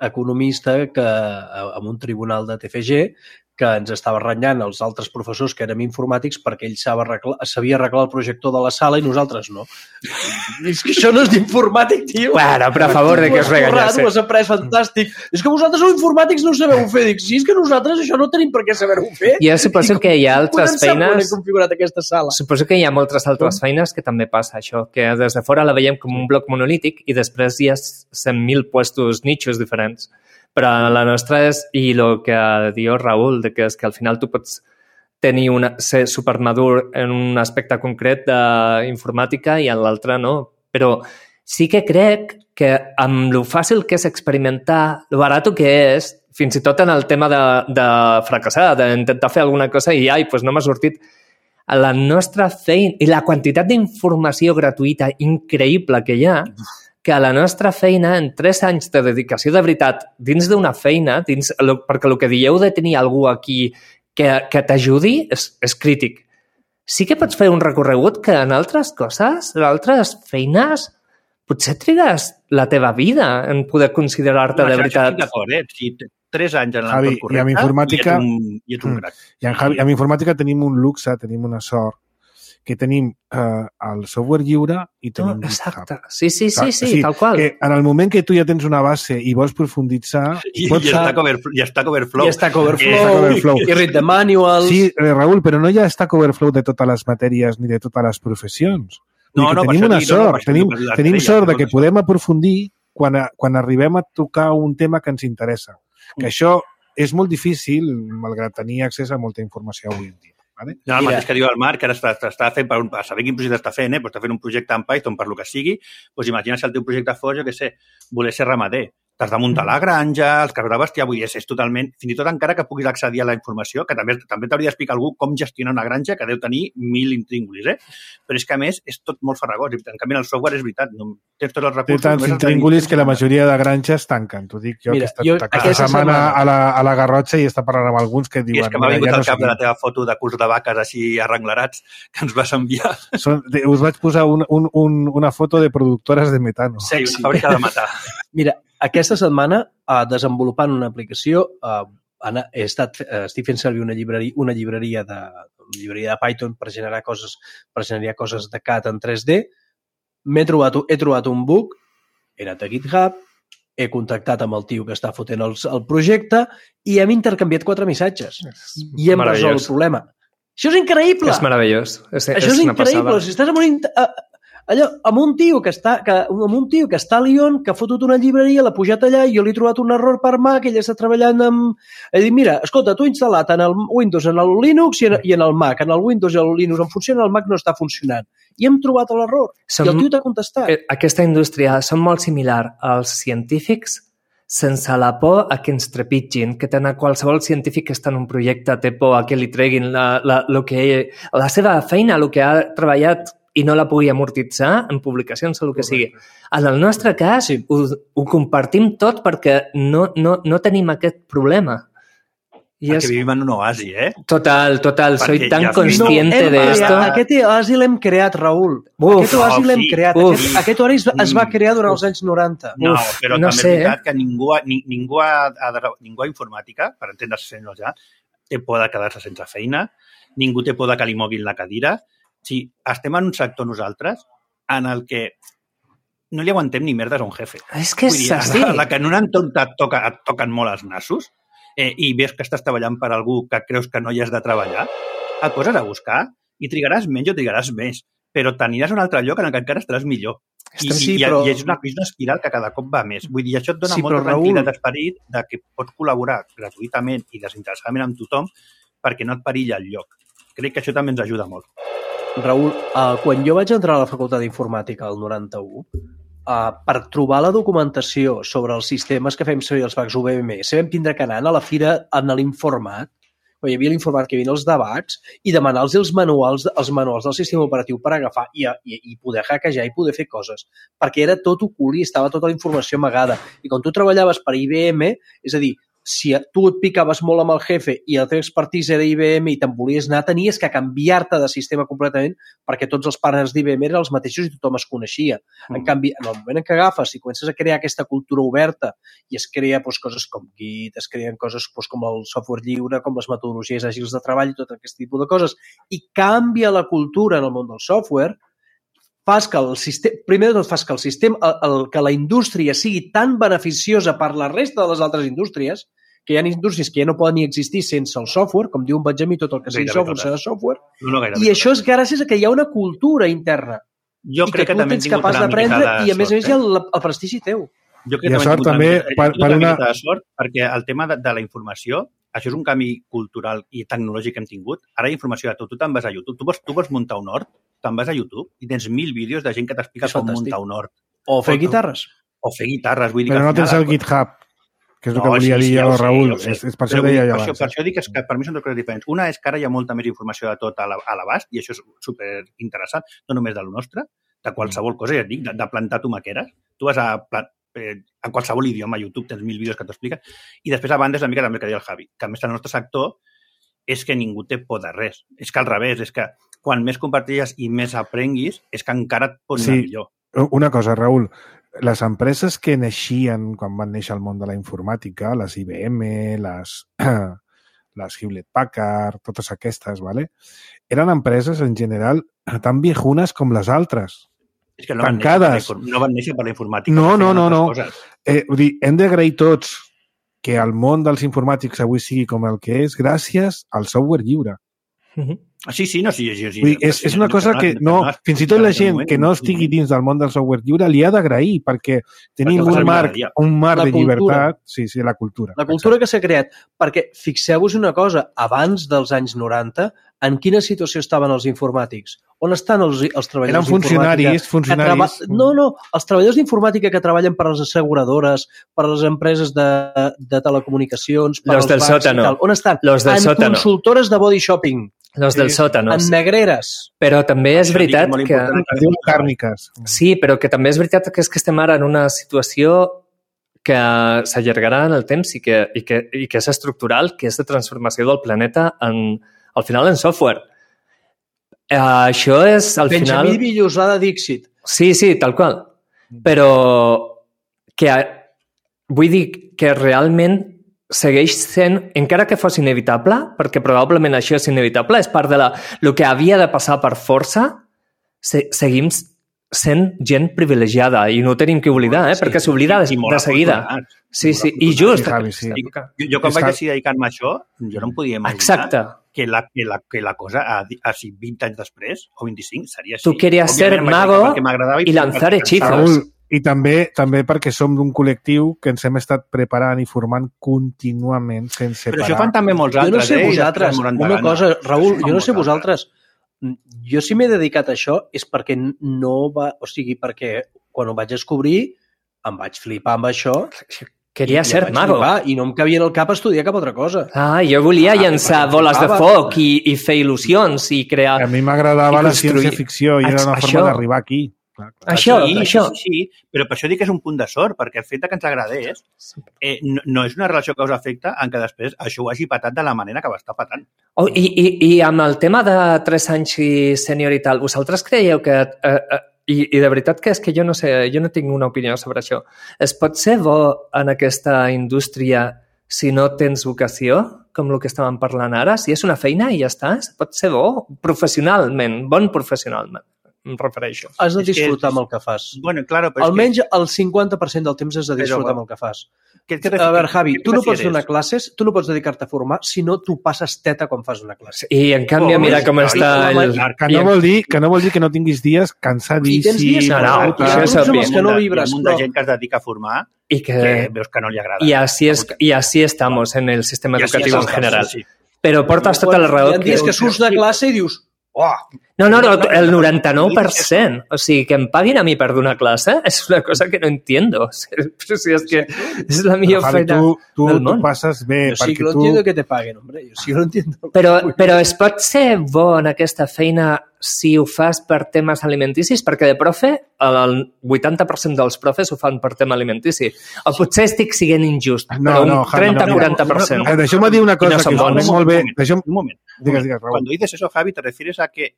economista que en un tribunal de TFG que ens estava renyant els altres professors que érem informàtics perquè ell sabia arreglar el projector de la sala i nosaltres no. És que això no és d'informàtic, tio. Bueno, però a favor de que es regañés. Ho has après fantàstic. És que vosaltres sou informàtics, no ho sabeu fer. Dic, sí, és que nosaltres això no tenim per què saber-ho fer. Jo suposo que hi ha altres feines... He configurat aquesta sala. Suposo que hi ha moltes altres feines que també passa això, que des de fora la veiem com un bloc monolític i després hi ha 100.000 puestos, nichos diferents. Però la nostra és, i el que diu Raül, que és que al final tu pots ser supermadur en un aspecte concret d'informàtica i en l'altre no. Però sí que crec que amb lo fàcil que és experimentar, lo barat que és, fins i tot en el tema de fracassar, d'intentar fer alguna cosa i pues no m'ha sortit, la nostra feina i la quantitat d'informació gratuïta increïble que hi ha, que a la nostra feina, en 3 anys de dedicació de veritat, dins d'una feina, perquè el que dieu de tenir algú aquí que t'ajudi és crític. Sí que pots fer un recorregut que en altres coses, en altres feines, potser trigues la teva vida en poder considerar-te de veritat. Estic d'acord, Si 3 anys en l'entorn correcte, i amb informàtica, i ets un crac. I amb informàtica tenim un luxe, tenim una sort, que tenim el software lliure i tenim exacte. Sí, tal qual. Que en el moment que tu ja tens una base i vols profunditzar... I Stack Overflow. I Stack Overflow. I Read the Manuals. Sí, Raül, però no hi ha Stack Overflow de totes les matèries ni de totes les professions. Tenim una sort. Tenim sort de que podem aprofundir quan arribem a tocar un tema que ens interessa. Que això és molt difícil, malgrat tenir accés a molta informació avui en dia. Vale? No, el mateix que diu el Marc, que ara està fent, per saber quin projecte està fent, està fent un projecte en Python per lo que sigui, doncs imagina si el teu projecte fos, jo què sé, voler ser ramader. T'has de muntar la granja, els casos de bestiar, vull dir, és totalment... Fins i tot encara que puguis accedir a la informació, que també t'hauria d'explicar algú com gestionar una granja, que deu tenir 1.000 intríngulis, Però és que, a més, és tot molt farragós. En canvi, el software és veritat, no tens tots els recursos... Té tants intríngulis que la majoria de granges tanquen. T'ho dic jo, que he estat aquesta setmana a la Garrotxa i està parlant amb alguns que diuen... I és que m'ha vingut al cap de la teva foto de curs de vaques així arrenglerats que ens vas enviar. Us vaig posar una foto de productores de metano. Sí, una fàbrica de matar. Mira, aquesta setmana, desenvolupant una aplicació, estic fent servir una llibreria de Python per generar coses de CAD en 3D. He trobat un bug, he anat a GitHub, he contactat amb el tio que està fotent el projecte i hem intercanviat 4 missatges. I hem resolt el problema. Això és increïble! És meravellós. Això és increïble. Si estàs amb un tio que està a Lyon, que ha fotut una llibreria, l'ha pujat allà i jo li he trobat un error per Mac, ell està treballant amb... He dit, mira, escolta, tu instal·lat en el Windows, en el Linux i en el Mac. En el Windows i el Linux en funciona, el Mac no està funcionant. I hem trobat l'error. I el tio t'ha contestat. Aquesta indústria són molt similar als científics sense la por a que ens trepitgin, que qualsevol científic que està en un projecte té por a que li treguin la seva feina, el que ha treballat i no la pugui amortitzar en publicacions o el que sigui. En el nostre cas, ho compartim tot perquè no tenim aquest problema. Perquè vivim en un oasi, Total. Soy tan consciente de esto. Aquest oasi l'hem creat, Raül. Aquest oasi l'hem creat. Aquest oasi es va crear durant els anys 90. No, però també és veritat que ningú a informàtica, per entendre's ja, té por de quedar-se sense feina, ningú té por de que li moguin la cadira. Si estem en un sector nosaltres en el que no li aguantem ni merdes a un jefe. És que és així. La que en un entorn et toquen molt els nassos i ves que estàs treballant per algú que creus que no hi has de treballar, et poses a buscar i trigaràs menys o trigaràs més, però t'aniràs a un altre lloc en el que encara estaràs millor. I és una espiral que cada cop va més. Vull dir, això et dona molta tranquil·litat d'esperit de que pots col·laborar gratuïtament i desinteressadament amb tothom perquè no et perilla el lloc. Crec que això també ens ajuda molt. Raül, quan jo vaig entrar a la Facultat d'Informàtica al 91, per trobar la documentació sobre els sistemes que fem servir els fax UVMS, vam tindre que anar a la fira en l'Informat, quan hi havia l'Informat que hi havia els debats, i demanar-los els manuals del sistema operatiu per agafar i poder hackejar i poder fer coses, perquè era tot ocult i estava tota la informació amagada. I quan tu treballaves per IBM, és a dir, si tu et picaves molt amb el jefe i la teva expertise era IBM i te'n volies anar, tenies que canviar-te de sistema completament perquè tots els partners d'IBM eren els mateixos i tothom es coneixia. En canvi, en el moment en què agafes i comences a crear aquesta cultura oberta i es crea coses com Git, es creen coses com el software lliure, com les metodologies àgils de treball i tot aquest tipus de coses, i canvia la cultura en el món del software, fas que el sistema, primer de tot fas que el sistema, que la indústria sigui tan beneficiosa per la resta de les altres indústries, que hi ha indústries que ja no poden ni existir sense el software, com diu en Benjamí, tot el que sigui software serà software, i això és gràcies a que hi ha una cultura interna. Jo crec que també ets capaç d'aprendre i a més hi ha el prestigi teu. Jo crec que també una mica de sort, perquè el tema de la informació, això és un canvi cultural i tecnològic que hem tingut. Ara hi ha informació de tot. Tu te'n vas a YouTube. Tu vols muntar un hort, te'n vas a YouTube i tens 1.000 vídeos de gent que t'explica com muntar un hort. O fer guitarres. Vull dir però no tens el GitHub, que és el que volia dir jo, Raül. És per això deia jo abans. Per això dic que per mi són dues coses diferents. Una és que ara hi ha molta més informació de tot a l'abast, i això és superinteressant, no només de lo nostre, de qualsevol cosa, ja et dic, de plantar tomaqueres. Tu vas en qualsevol idioma, a YouTube tens 1.000 vídeos que t'expliquen, i després a banda és la mica també que deia el Javi, que a més el nostre sector és que ningú té por de res. És que al revés, és que quan més compartilles i més aprenguis, és que encara et pots anar millor. Una cosa, Raül, les empreses que naixien quan van néixer al món de la informàtica, les IBM, les Hewlett-Packard, totes aquestes, ¿vale? Eren empreses en general tan viejunes com les altres. És que no tancades. No van néixer per la informàtica. No. Vull dir, hem d'agrair tots que el món dels informàtics avui sigui com el que és gràcies al software lliure. Sí. És una cosa que fins i tot la gent que no estigui dins del món del software lliure li ha d'agrair, perquè tenim un marc de llibertat. Sí, la cultura. La cultura que s'ha creat. Perquè fixeu-vos una cosa, abans dels anys 90, en quina situació estaven els informàtics? On estan els treballadors d'informàtica? Eren funcionaris. No, els treballadors d'informàtica que treballen per les asseguradores, per les empreses de telecomunicacions, per als bancs i tal. On estan? En consultores de body shopping. Los del sòtano. En negreres. Però també és veritat que... Càrniques. Sí, però que també és veritat que estem ara en una situació que s'allargarà en el temps i que és estructural, que és de transformació del planeta al final en software. Això és, al final... Benjamí Villosada Dixit. Sí, tal qual. Però que vull dir que realment segueix sent, encara que fos inevitable, perquè probablement això és inevitable, és part de el que havia de passar per força, seguim sent gent privilegiada i no ho tenim que oblidar, perquè s'oblida de seguida. Sí, i just. Jo quan vaig decidir dedicar-me a això, jo no em podia imaginar que la cosa a 20 anys després, o 25, seria així. Tu querías ser mago i lanzar hechizos. I també perquè som d'un col·lectiu que ens hem estat preparant i formant contínuament sense parar. Però això fan també molts altres. Jo no sé vosaltres, una cosa, Raül, jo no sé vosaltres, jo si m'he dedicat a això és perquè perquè quan ho vaig descobrir em vaig flipar amb això. Queria ser mago. I no em cabia en el cap estudiar cap altra cosa. Jo volia llançar boles de foc i fer il·lusions i crear... A mi m'agradava la ciència-ficció i era una forma d'arribar aquí. Això. Sí, però per això dic que és un punt de sort, perquè el fet que ens agradés no és una relació causa-efecte en què després això ho hagi patat de la manera que va estar patant. I amb el tema de 3 anys i sènior i tal, vosaltres creieu que... I de veritat que és que jo no sé, jo no tinc una opinió sobre això. Es pot ser bo en aquesta indústria si no tens vocació, com el que estàvem parlant ara? Si és una feina i ja està, es pot ser bo professionalment, bon professionalment. Em refereixo. Has de disfrutar amb el que fas. Bueno, claro, però almenys el 50% del temps has de disfrutar amb el que fas. A veure, Javi, tu no pots donar classes, tu no pots dedicar-te a formar si no tu passes teta quan fas una classe. I en canvi, mira com està... Que no vol dir que no tinguis dies cansadíssim. Si tens dies que no vibres. Hi ha molta gent que es dedica a formar i que veus que no li agrada. Y así estamos en el sistema educativo en general. Però portes tota la raó. Hi ha dies que surts de classe i dius... Oh. No, el 99%. O sigui, que em paguin a mi per donar classe és una cosa que no entiendo. Però si és que és la millor feina del món. Tu passes bé. Jo sí que no entiendo que te paguen, hombre. Jo sí que no entiendo. Però es pot ser bo en aquesta feina si ho fas per temes alimenticis? Perquè de profe, el 80% dels profes ho fan per tema alimentici. O potser estic sent injust, però un 30-40%. Deixeu-me dir una cosa que és molt bé. Un moment. Cuando dices eso, Javi, ¿te refieres a que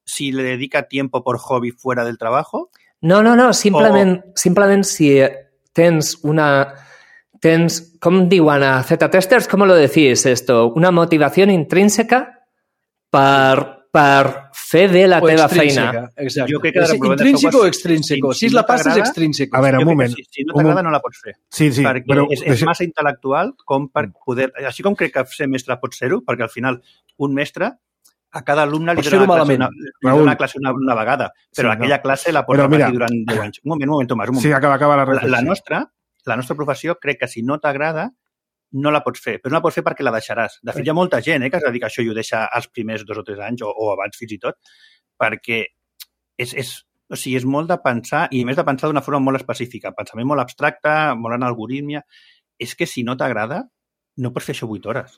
si le dedica tiempo por hobby fuera del trabajo? No, simplement si tens com diuen a Z-Testers, ¿cómo lo decís esto? Una motivación intrínseca per fer bé la teva feina. Exacte. Jo crec que intrínseco o extrínseco? Si la passes, extrínseco. A veure, un moment. Si no t'agrada, no la pots fer. Sí, perquè però... És massa intel·lectual com per poder... Així com crec que ser mestre pot ser-ho, perquè al final un mestre a cada alumne li dona una classe una vegada, però aquella classe la pot repetir durant 10 anys. Un moment, Tomàs. Sí, acaba la reflexió. La nostra professió crec que si no t'agrada no la pots fer, però no la pots fer perquè la deixaràs. De fet, hi ha molta gent que es dedica a això i ho deixa als primers 2 o 3 anys o abans fins i tot, perquè és molt de pensar, i a més de pensar d'una forma molt específica, pensament molt abstracte, molt en algoritmia. És que si no t'agrada, no pots fer això 8 hores.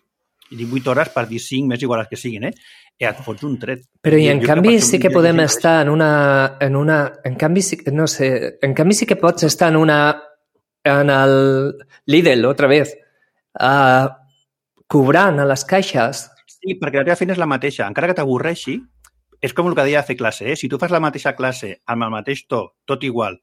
I dic 8 hores per dir 5, més igual que siguin, et fots un tret. Però i en canvi sí que podem estar en una... En canvi sí que pots estar en el Lidl, otra vez, cobrant a les caixes. Sí, perquè la teva feina és la mateixa. Encara que t'avorreixi, és com el que deia de fer classe. Si tu fas la mateixa classe amb el mateix to, tot igual,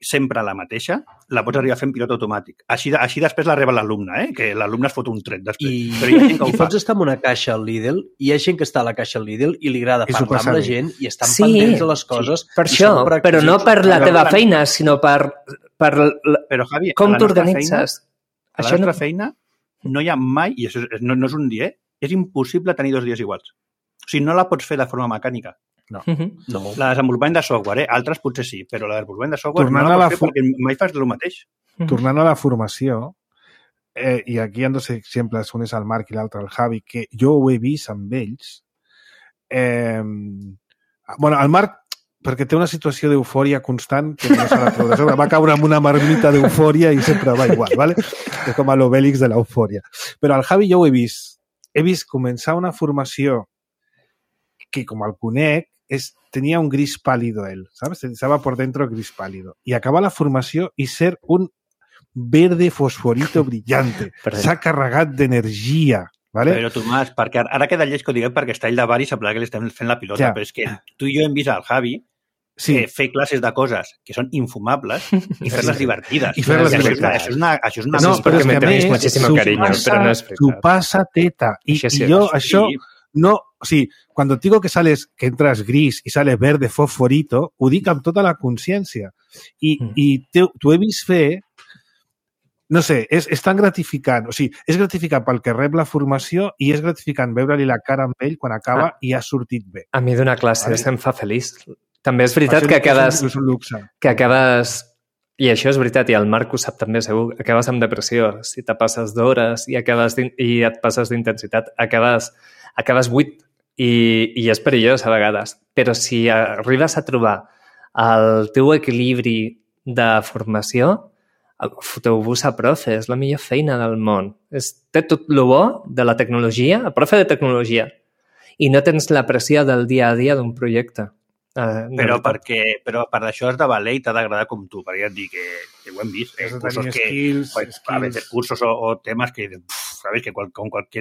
sempre la mateixa, la pots arribar a fer en pilot automàtic. Així després la reba l'alumne, que l'alumne es fot un tret després. Però hi ha gent que ho fa. Pots estar en una caixa al Lidl, i hi ha gent que està a la caixa al Lidl i li agrada parlar amb la gent i estan pendents de les coses. Per això, però no per la teva feina, sinó per Javi, com t'organitzes. A la nostra feina no hi ha mai, i això no és un dia, és impossible tenir 2 dies iguals. O sigui, no la pots fer de forma mecànica. No. La desenvolupament de software, altres potser sí, però la desenvolupament de software no la pots fer perquè mai fas el mateix. Tornant a la formació, i aquí hi ha 2 exemples, un és el Marc i l'altre el Javi, que jo ho he vist amb ells. Bueno, el Marc, perquè té una situació d'eufòria constant que no se la treu de sobre. Va caure amb una marmita d'eufòria i sempre va igual, ¿vale? És com l'Obélix de l'eufòria. Però al Javi jo ho he vist. He vist començar una formació que, com el conec, tenía un gris pálido él, ¿sabes? Estaba por dentro gris pálido. Y acaba la formació i ser un verde fosforito brillante. S'ha carregat d'energia. Vale? Però, Tomàs, perquè ara queda lleig que ho diguem perquè està ell de bar i sembla que li estem fent la pilota, però és que tu i jo hem vist al Javi fer classes de coses que són infumables i fer-les divertides. I fer-les divertides. Això és una... No, però és que a més, s'ho passa teta. I jo això no... O sigui, quan et digo que entras gris i sales verde fosforito, ho dic amb tota la consciència. I t'ho he vist fer. No sé, és tan gratificant. O sigui, és gratificant pel que rep la formació i és gratificant veure-li la cara amb ell quan acaba i ha sortit bé. A mi donar classes em fa feliç. També és veritat que acabes... I això és veritat, i el Marc ho sap també segur, acabes amb depressió. Si te passes d'hores i et passes d'intensitat, acabes buit i és perillós a vegades. Però si arribes a trobar el teu equilibri de formació, foteu-vos a profe, és la millor feina del món. Té tot el bo de la tecnologia, a profe de tecnologia, i no tens la pressió del dia a dia d'un projecte. Però per això has de valer i t'ha d'agradar com tu, perquè ja et dic que ho hem vist. A veces cursos o temas que, sabes, que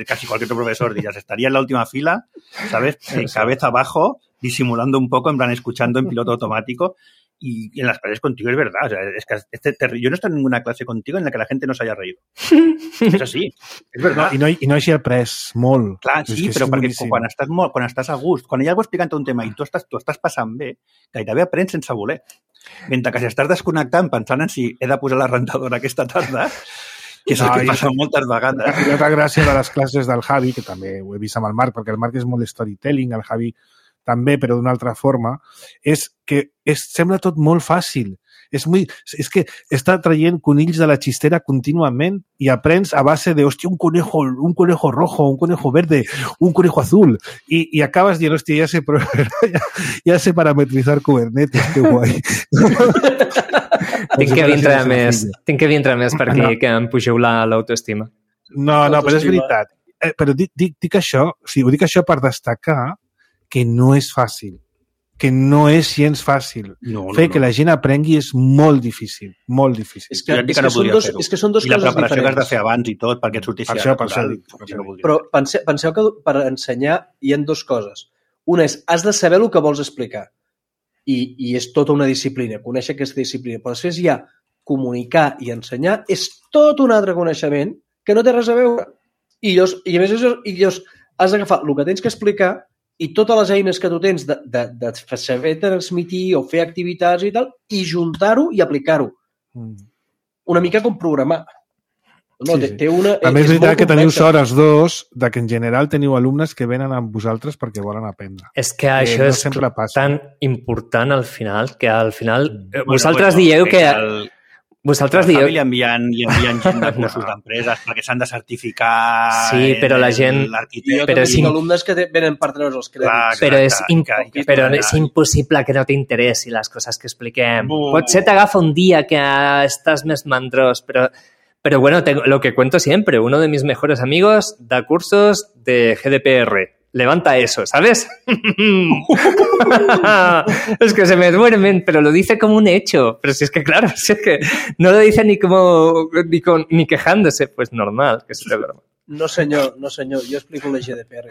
casi cualquier profesor dirías, estaría en la última fila, sabes, cabeza abajo, disimulando un poco, en plan, escuchando en piloto automático. Y en las clases contigo es verdad. O sea, es que yo no he estado en ninguna clase contigo en la que la gente no se haya reído. És així, és veritat. No, I no hagi après molt. Clar, sí, però perquè quan estàs a gust, quan hi ha algú explicant un tema i tu estàs passant bé, gairebé aprens sense voler. Mentre que si estàs desconnectant pensant en si he de posar la rentadora aquesta tarda, que és el que passa moltes vegades. I l'altra gràcia de les classes del Javi, que també ho he vist amb el Marc, perquè el Marc és molt storytelling, el Javi també, però d'una altra forma, és que sembla tot molt fàcil. És que està traient conills de la xistera contínuament i aprens a base de, hòstia, un conejo rojo, un conejo verde, un conejo azul, i acabes dient, hòstia, ja sé parametrizar Kubernetes, que guai. Tinc que vindre més per aquí, que em pugeu l'autoestima. No, però és veritat. Però dic això, o sigui, ho dic això per destacar que no és fàcil, que no és gens fàcil. Fer que la gent aprengui és molt difícil, molt difícil. És que són dos coses diferents. I la preparació que has de fer abans i tot, perquè et sortissi natural. Però penseu que per ensenyar hi ha dues coses. Una és, has de saber el que vols explicar. I és tota una disciplina, conèixer aquesta disciplina. Però després hi ha comunicar i ensenyar, és tot un altre coneixement que no té res a veure. I a més, has d'agafar el que tens que explicar i totes les eines que tu tens de saber transmitir o fer activitats i tal, i juntar-ho i aplicar-ho. Una mica com programar. No, sí. A més, és veritat que teniu sort els dos de que en general teniu alumnes que venen amb vosaltres perquè volen aprendre. És que això és tan important al final, que al final vosaltres dieu que... Vosaltres dieu... Li envien gent de cursos d'empreses perquè s'han de certificar... Sí, però la gent... Jo també tinc alumnes que venen per treure's els crèdits. Però és impossible que no t'interessi les coses que expliquem. Potser t'agafa un dia que estàs més mandrós, pero bueno, lo que cuento siempre, uno de mis mejores amigos da cursos de GDPR. Levanta eso, ¿sabes? Es que se me duermen, pero lo dice como un hecho. Pero si es que, claro, si es que no lo dice ni quejándose, pues normal que se le duerma. No, senyor, jo explico la GDPR.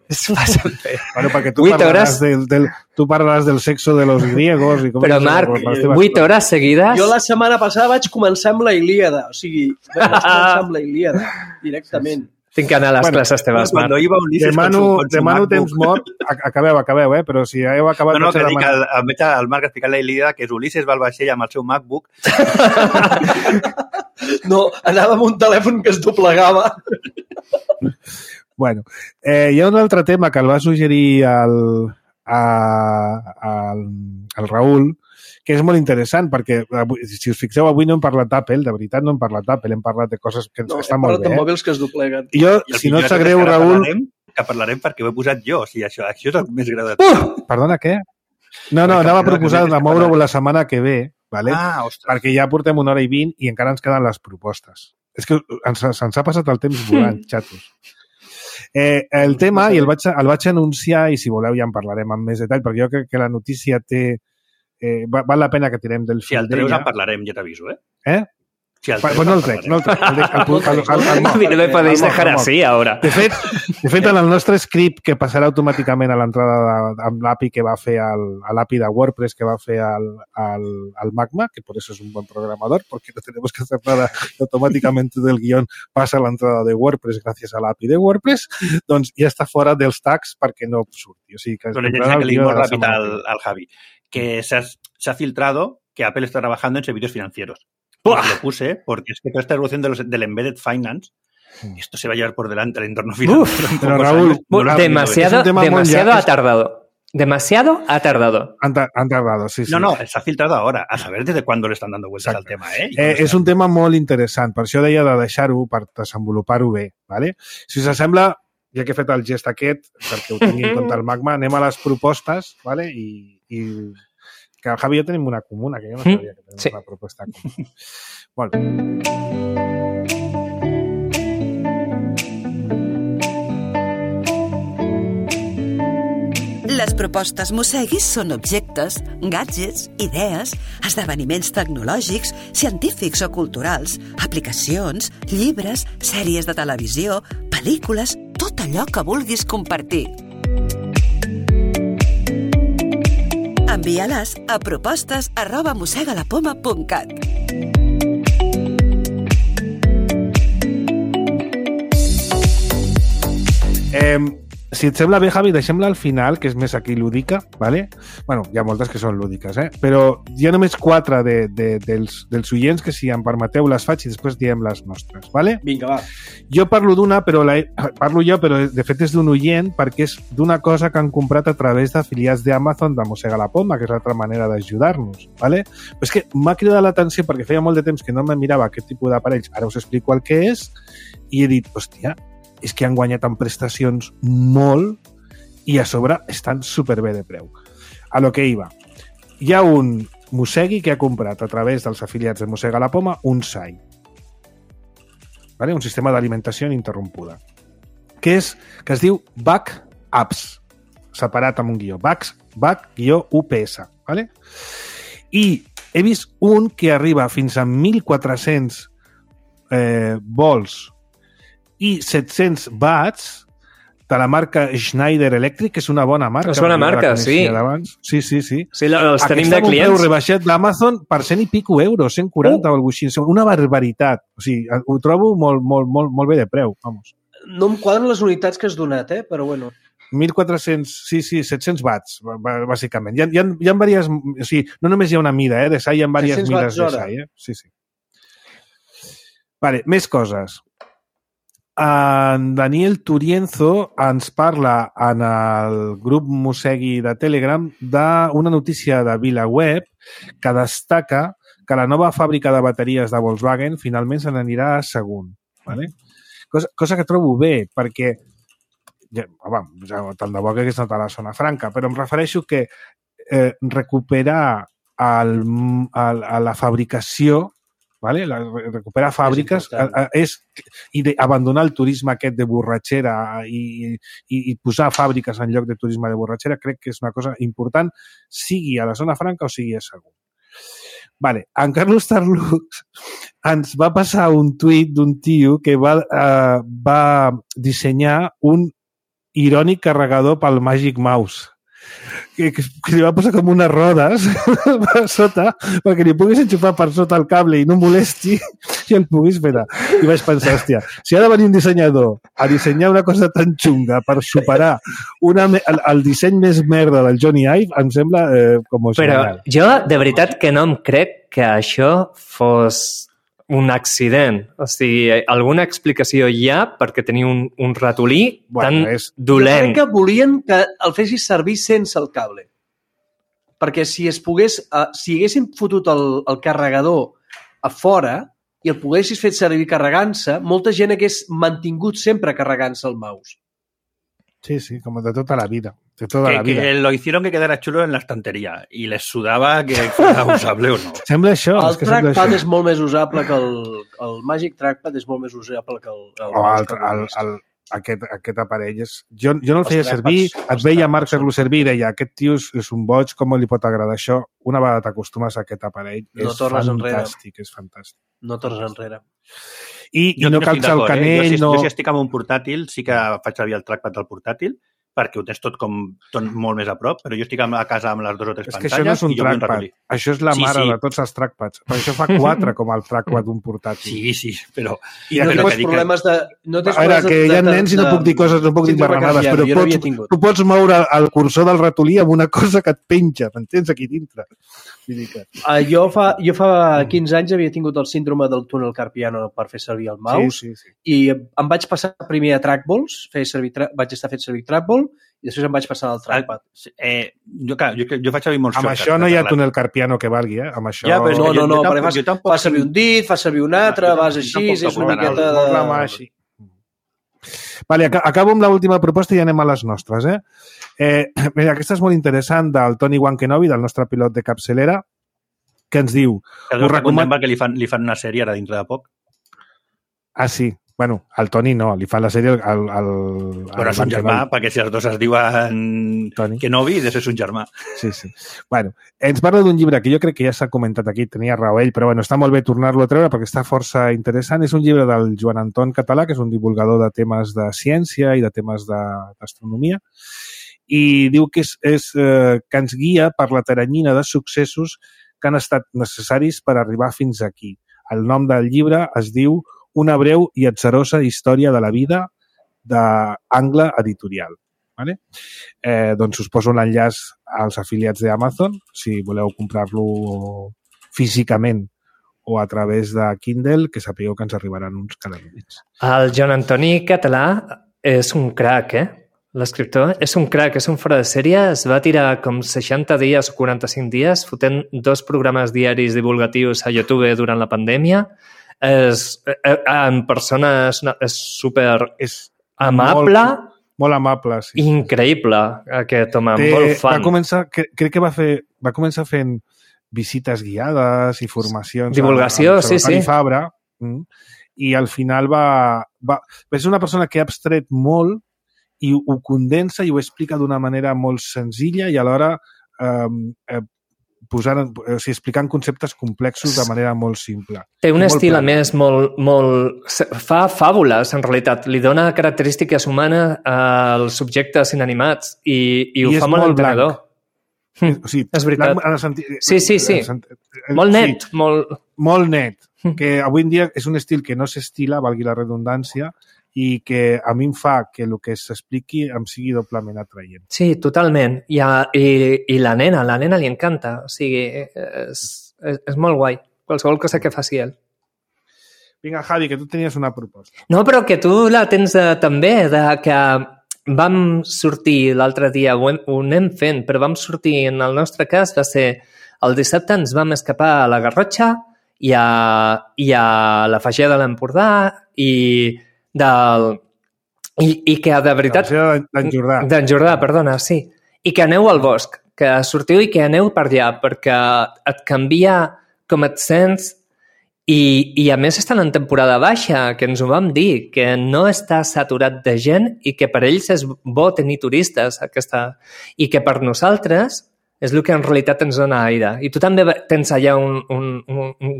És bastante. Bueno, perquè tu parlaràs del sexo de los griegos. I com però, Marc, 8 hores seguides... Jo la setmana passada vaig començar amb la Ilíada. O sigui, vaig començar amb la Ilíada, directament. Tinc que anar a les classes teves, Marc. Demano temps mort. Acabeu, però si ja heu acabat... No, que dic al Marc explicant la Ilíada que és Ulisses va al vaixell amb el seu MacBook. No, anava amb un telèfon que es doblegava. Bueno, hi ha un altre tema que el va suggerir el Raül, que és molt interessant, perquè, si us fixeu, avui no hem parlat d'Apple, de veritat no hem parlat d'Apple, hem parlat de coses que estan molt bé. No, hem parlat de mòbils que es dobleguen. I jo, si no et sap greu, Raül... Que parlarem perquè ho he posat jo, o sigui, això és el més greu de tot. Perdona, què? No, anava a proposar de moure-ho la setmana que ve, vale? Perquè ja portem 1 hora i 20 i encara ens queden les propostes. És que se'ns ha passat el temps volant, xatos. El tema, i el vaig anunciar, i si voleu ja en parlarem amb més detall, perquè jo crec que la notícia té... val la pena que tirem del fil d'ella. Si el treus en parlarem, ja t'aviso, eh? Pues no el trec. No me podéis dejar así ahora. De fet, en el nostre script que passarà automàticament a l'entrada amb l'API que va fer l'API de WordPress que va fer al Magma, que por eso es un buen programador, porque no tenemos que hacer nada automáticamente del guión passa a l'entrada de WordPress gràcies a l'API de WordPress, doncs ja està fora dels tags perquè no surti. O sigui, que le dimos rápido al Javi, que se ha filtrado que Apple está trabajando en servicios financieros. Lo puse porque es que toda esta evolución del embedded finance, esto se va a llevar por delante el entorno financiero. Pero Raúl, demasiado ha tardado. Demasiado ha tardado. Han tardado, sí. No, se ha filtrado ahora. A saber desde cuándo le están dando vueltas al tema, és un tema molt interessant. Per això deia de deixar-ho, per desenvolupar-ho bé. ¿Vale? Si us sembla, ja que he fet el gest aquest, perquè ho tingui en compte el Magma, anem a les propostes, ¿vale? I que el Javi i jo tenim una comuna, que jo no sabia que tenim una proposta comuna. Molt bé. Les propostes Mosseguis són objectes, gadgets, idees, esdeveniments tecnològics, científics o culturals, aplicacions, llibres, sèries de televisió, pel·lícules, tot allò que vulguis compartir. Envia-les a propostes@mossegalapoma.cat. Si et sembla bé, Javi, deixem-la al final, que és més aquí lúdica, ¿vale? Bueno, hi ha moltes que són lúdiques, però hi ha només 4 dels oients que, si em permeteu, les faig i després diem les nostres, ¿vale? Vinga, va. Jo parlo d'una, però de fet és d'un oient, perquè és d'una cosa que han comprat a través d'afiliats d'Amazon de Mossega la Poma, que és l'altra manera d'ajudar-nos, ¿vale? Però és que m'ha cridat l'atenció perquè feia molt de temps que no me mirava aquest tipus d'aparells. Ara us explico el que és i he dit, hòstia, és que han guanyat en prestacions molt i a sobre estan superbé de preu. A lo que iba. Hi ha un mossegui que ha comprat a través dels afiliats de Mossega la Poma un SAI. ¿Vale? Un sistema d'alimentació ininterrompuda. Que es diu Back Apps. Separat amb un guió. Back-UPS. ¿Vale? I he vist un que arriba fins a 1.400 volts i 700 watts de la marca Schneider Electric, que és una bona marca. És bona marca, sí. Sí. Sí, els tenim de clients. Aquesta un rebaixat d'Amazon per 100 i pico euros, 140 o alguna cosa. Una barbaritat. O sigui, ho trobo molt bé de preu, vamos. No em quadren les unitats que has donat, però bueno. 1.400, sí, 700 watts, bàsicament. Hi ha diverses... O sigui, no només hi ha una mida, de SAI, hi ha diverses mides de SAI, Sí. Vale, més coses. En Daniel Turienzo ens parla en el grup Mossegui de Telegram d'una notícia de VilaWeb que destaca que la nova fàbrica de bateries de Volkswagen finalment se n'anirà a Sagunt. ¿Vale? Cosa que trobo bé, perquè tant de bo que hagués anat a la zona franca, però em refereixo que recuperar la fabricació, ¿vale? Recuperar fàbriques i abandonar el turisme aquest de borratxera i posar fàbriques en lloc de turisme de borratxera, crec que és una cosa important, sigui a la zona franca o sigui a Sagunt. Vale. En Carlos Tarlux ens va passar un tuit d'un tio que va dissenyar un irònic carregador pel Magic Mouse. Que li va posar com unes rodes per sota perquè li puguis enxufar per sota el cable i no molesti i el puguis fer. I vaig pensar, hòstia, si ha de venir un dissenyador a dissenyar una cosa tan xunga per superar el disseny més merda del Johnny Ive, em sembla com genial. Però jo de veritat que no em crec que això fos un accident. O sigui, alguna explicació hi ha perquè tenia un ratolí tan dolent. Jo crec que volien que el fessis servir sense el cable. Perquè si haguessin fotut el carregador a fora i el poguessis fet servir carregant-se, molta gent hagués mantingut sempre carregant-se el mouse. Sí, como de toda la vida. De toda la vida. Que lo hicieron que quedara chulo en la estantería y les sudava que fuera usable o no. Sembla això. El trackpad és molt més usable que el Magic Trackpad és molt més usable que aquest aparell. Jo no el feia servir, et veia Marc fer-lo servir i deia, aquest tio és un boig, com li pot agradar això? Una vegada t'acostumes a aquest aparell, és fantàstic. No tornes enrere. I no calça el canell. Jo si estic amb un portàtil, sí que faig servir el trackpad del portàtil, perquè ho tens tot molt més a prop, però jo estic a casa amb les 2 o 3 pantalles. És que això no és un trackpad, això és la mare de tots els trackpads. Per això fa 4 com el trackpad d'un portàtil. Sí, però... I no tens problemes de... A veure, que hi ha nens i no puc dir coses, no puc dir marranades, però tu pots moure el cursor del ratolí amb una cosa que et penja, m'entens, aquí dintre. Jo fa 15 anys havia tingut el síndrome del túnel carpiano per fer servir el mouse i em vaig passar primer a trackballs, vaig estar fent servir trackball i després em vaig passar al trackpad. Jo faig servir molts... Amb això no hi ha túnel carpiano que valgui, Amb això... No, perquè fas servir un dit, fas servir un altre, vas així, és una miqueta de... Vale, acabo amb l'última proposta i anem a les nostres, Mira, aquesta és molt interessant, del Toni Wankenobi, del nostre pilot de capçalera, que ens diu... Us recomano que li fan una sèrie ara dintre de poc. Ah, sí. Bueno, al Toni no, li fan la sèrie Però és un germà, perquè si els dos es diuen Kenobi, és un germà. Sí. Bueno, ens parla d'un llibre que jo crec que ja s'ha comentat aquí, tenia raó ell, però bueno, està molt bé tornar-lo a treure perquè està força interessant. És un llibre del Joan Anton Català, que és un divulgador de temes de ciència i de temes d'astronomia, i diu que que ens guia per la taranyina de successos que han estat necessaris per arribar fins aquí. El nom del llibre es diu Una breu i atzarosa història de la vida d'Angle Editorial. Vale? Doncs us poso l'enllaç als afiliats d'Amazon, si voleu comprar-lo físicament o a través de Kindle, que sapigueu que ens arribaran uns calamins. El Joan Antoni Català és un crac, L'escriptor és un crac, és un fora de sèrie. Es va tirar com 60 dies o 45 dies fotent 2 programes diaris divulgatius a YouTube durant la pandèmia. En persona és super amable. Molt amable, sí. Increïble, aquest home, molt fan. Crec que va començar fent visites guiades i formacions. Divulgació, sí. Fabra, i al final és una persona que ha abstret molt i ho condensa i ho explica d'una manera molt senzilla i alhora explicant conceptes complexos de manera molt simple. Té un estil, a més, molt... Fa fàbules, en realitat. Li dona característiques humanes als subjectes inanimats i ho fa molt entenedor. O sigui, és veritat. Sí. Molt net. Molt net. Que avui en dia és un estil que no s'estila, valgui la redundància, i que a mi em fa que el que s'expliqui em sigui doblement atraient. Sí, totalment. I la nena li encanta. O sigui, és molt guai. Qualsevol cosa que faci ell. Vinga, Javi, que tu tenies una proposta. No, però que tu la tens també, que vam sortir l'altre dia, ho anem fent, però vam sortir, en el nostre cas, va ser el dissabte ens vam escapar a la Garrotxa i a la Fageda de l'Empordà i que de veritat... D'en Jordà, perdona, sí. I que aneu al bosc, que sortiu i que aneu per allà, perquè et canvia com et sents i a més estan en temporada baixa, que ens ho vam dir, que no està saturat de gent i que per ells és bo tenir turistes i que per nosaltres és el que en realitat ens dona aire. I tu també tens allà un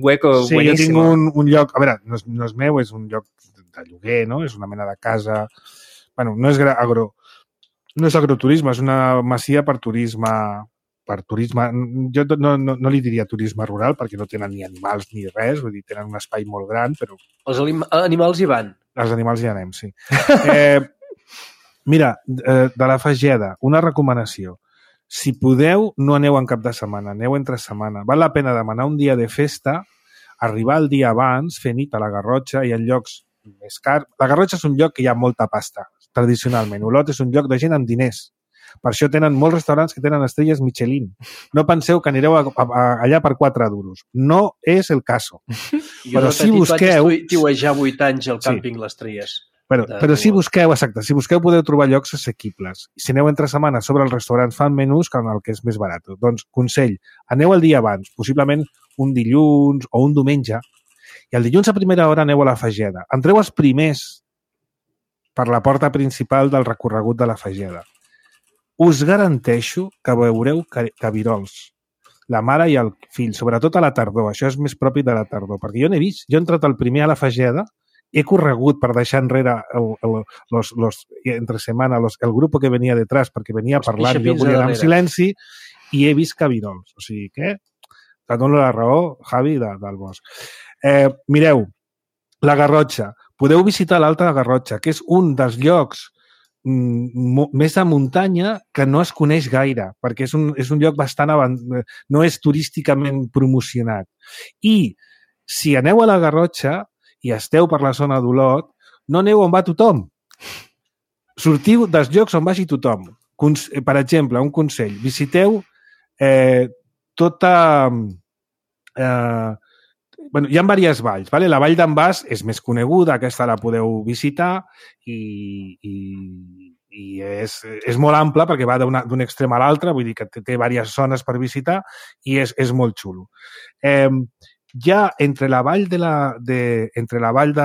hueco bueníssim. Sí, jo tinc un lloc... A veure, no és meu, és un lloc de lloguer, no? És una mena de casa... Bueno, no és agroturisme, és una masia per turisme... Jo no li diria turisme rural perquè no tenen ni animals ni res, vull dir, tenen un espai molt gran, però... Els animals hi van. Els animals hi anem, sí. Mira, de la Fageda, una recomanació. Si podeu, no aneu en cap de setmana, aneu entre setmana. Val la pena demanar un dia de festa, arribar el dia abans, fer nit a la Garrotxa, i en llocs més cars. La Garrotxa és un lloc que hi ha molta pasta, tradicionalment. Olot és un lloc de gent amb diners. Per això tenen molts restaurants que tenen estrelles Michelin. No penseu que anireu allà per 4 duros. No és el caso. Però si busqueu... Vaig estiuejar 8 anys al càmping Les Tries. Però si busqueu, exacte, si busqueu podeu trobar llocs assequibles. Si aneu entre setmanes sobre els restaurants fan menús que el que és més barat. Doncs, consell, aneu el dia abans, possiblement un dilluns o un diumenge, i el dilluns a primera hora aneu a la Fageda. Entreu els primers per la porta principal del recorregut de la Fageda. Us garanteixo que veureu cabirols, la mare i el fill, sobretot a la tardor. Això és més propi de la tardor, perquè jo n'he vist. Jo he entrat el primer a la Fageda, he corregut per deixar enrere entre setmana el grup que venia detrás perquè venia parlant, jo volia anar en silenci i he vist cabirols. O sigui que te dono la raó, Javi, del bosc. Mireu, la Garrotxa. Podeu visitar l'Alta Garrotxa, que és un dels llocs més de muntanya que no es coneix gaire, perquè és un lloc bastant no és turísticament promocionat. I si aneu a la Garrotxa i esteu per la zona d'Olot, no aneu on va tothom. Sortiu dels llocs on vagi tothom. Per exemple, un consell, visiteu tota... Bueno, hi ha diverses valls. Vale? La vall d'en Bas és més coneguda, aquesta la podeu visitar i és molt ampla perquè va d'un extrem a l'altre, vull dir que té diverses zones per visitar i és molt xulo. Ja entre la vall de la vall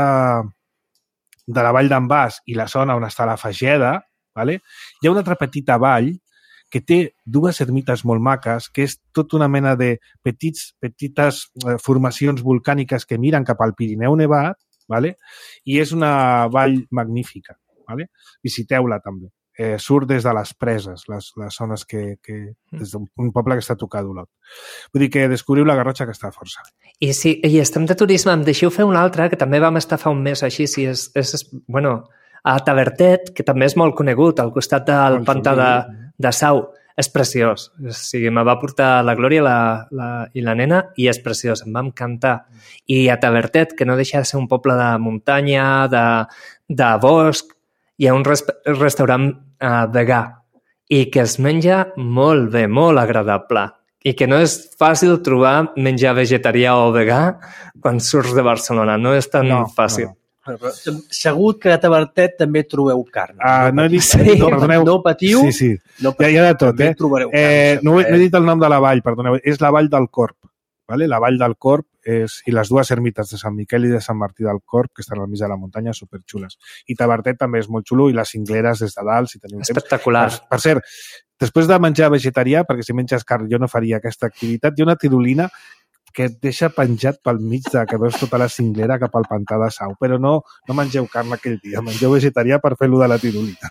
d'en Bas i la zona on està la Fageda, vale? Hi ha una altra petita vall que té 2 ermites molt maques, que és tota una mena de petites formacions volcàniques que miren cap al Pirineu nevat, vale? I és una vall magnífica. Vale? Visiteu-la també. Surt des de les preses, les zones des d'un poble que està tocat d'Olot. Vull dir que descobriu la Garrotxa, que està força. I si estem de turisme, em deixeu fer una altra, que també vam estar fa un mes així, bueno, A Tavertet, que també és molt conegut, al costat del pantà de Sau, és preciós. O sigui, me va portar la Glòria i la nena i és preciós, em va encantar. I a Tavertet, que no deixa de ser un poble de muntanya, de bosc, hi ha un restaurant vegà i que es menja molt bé, molt agradable. I que no és fàcil trobar menjar vegetarià o vegà quan surts de Barcelona. No és tan fàcil. Però segur que a Tavertet també trobeu carn. No he dit... No patiu. Sí. Hi ha de tot, No he dit el nom de la vall, perdoneu. És la vall del Corb. La vall del Corb i les dues ermites de Sant Miquel i de Sant Martí del Corb, que estan al mig de la muntanya, superxules. I Tavertet també és molt xulo, i les cingleres des de dalt, si teniu temps. Espectacular. Per cert, després de menjar vegetarià, perquè si menges carn jo no faria aquesta activitat, hi ha una tirolina que et deixa penjat pel mig que veus tota la cinglera cap al pantà de Sau, però no mengeu carn aquell dia, mengeu vegetarià per fer-lo de la tirolina.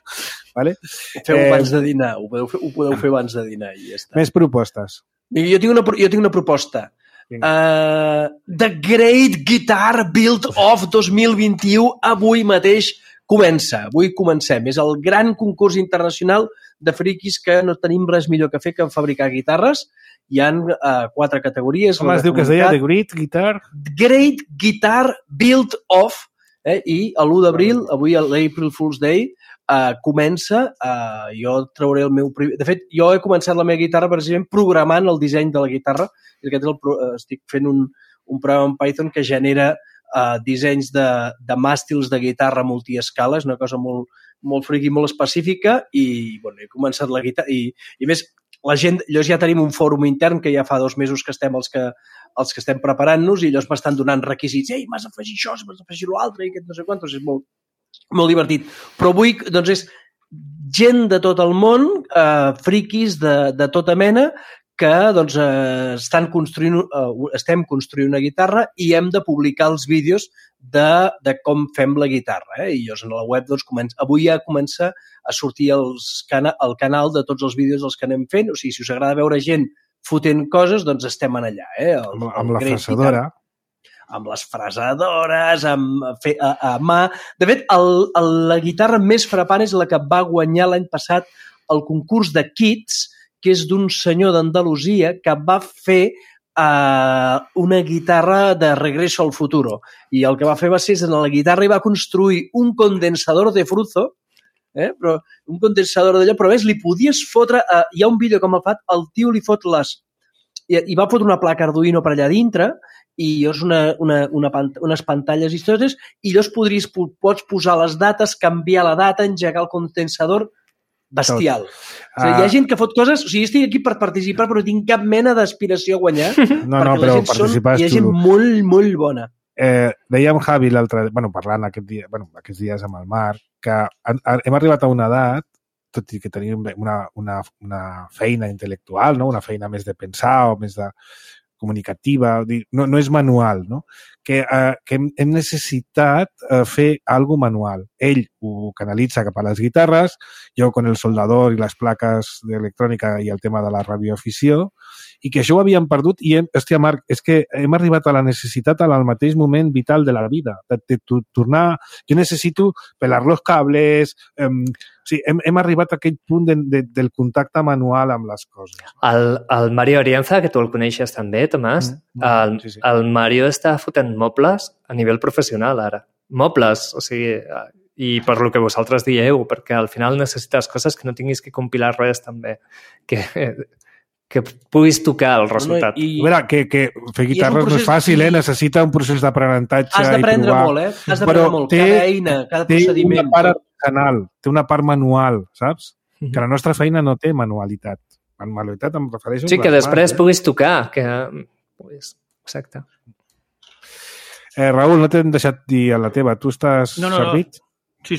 Vale? Feu abans de dinar, ho podeu fer abans de dinar i ja està. Més propostes. Jo tinc una proposta. The Great Guitar Build-Off 2021 avui mateix comença. Avui comencem. És el gran concurs internacional de friquis que no tenim res millor que fer que fabricar guitarres. Hi ha 4 categories. Com es diu que es deia? The Great Guitar? Great Guitar Build-Off. I l'1 d'abril, avui l'April Fool's Day, comença, jo trauré el meu... De fet, jo he començat la meva guitarra precisament programant el disseny de la guitarra. Estic fent un programa en Python que genera dissenys de màstils de guitarra multiescala. És una cosa molt friqui, molt específica, i he començat la guitarra. I a més, la gent, ja tenim un fòrum intern que ja fa 2 mesos que estem els que estem preparant-nos, i ells m'estan donant requisits. Ei, m'has d'afegir això, m'has d'afegir l'altre, i aquest no sé quantos. És molt divertit. Però avui, doncs, és gent de tot el món, friquis de tota mena, que doncs, estem construint una guitarra i hem de publicar els vídeos de com fem la guitarra. I llavors a la web avui ja comença a sortir el canal de tots els vídeos dels que anem fent. O sigui, si us agrada veure gent fotent coses, doncs estem allà. Amb la fresadora. Amb les fresadores, a mà. De fet, la guitarra més frapant és la que va guanyar l'any passat el concurs de Kids, que és d'un senyor d'Andalusia que va fer una guitarra de Regreso al Futuro. I el que va fer va ser, en la guitarra i va construir un condensador de Fruzo, però un condensador d'allò, però ves, li podies fotre... Hi ha un vídeo com el tio li fot i va fotre una placa Arduino per allà dintre, i llavors unes pantalles històriques, i llavors pots posar les dates, canviar la data, engegar el condensador, bestial. O sigui, hi ha gent que fot coses... O sigui, estic aquí per participar, però no tinc cap mena d'aspiració a guanyar, però participar és xulo. Hi ha gent molt, molt bona. Dèiem Javi l'altre... parlant aquests dies amb el Marc, que hem arribat a una edat, tot i que tenim una feina intel·lectual, una feina més de pensar o més de comunicativa, no és manual, no? Que hem necessitat fer alguna manual. Ell ho canalitza cap a les guitarres, jo con el soldador i les plaques d'electrònica i el tema de la radioafició, i que això ho havíem perdut i, hòstia, Marc, és que hem arribat a la necessitat al mateix moment vital de la vida, de tornar... Jo necessito pelar los cables... O sigui, hem arribat a aquell punt del contacte manual amb les coses. El Mario Arienza, que tu el coneixes també, Tomàs, sí. El Mario està fotent mobles a nivell professional ara. Mobles, o sigui... I per lo que vosaltres dieu, perquè al final necessites coses que no tinguis que compilar res també, que puguis tocar el resultat. A veure, que fer guitarres no és fàcil, necessita un procés d'aprenentatge. Has d'aprendre molt, Has d'aprendre molt. Cada eina, cada procediment. Té una part artesanal, té una part manual, saps? Que la nostra feina no té manualitat. Manualitat em refereixo... Sí, que després puguis tocar. Exacte. Raül, no t'hem deixat dir a la teva. Tu estàs servit? Sí.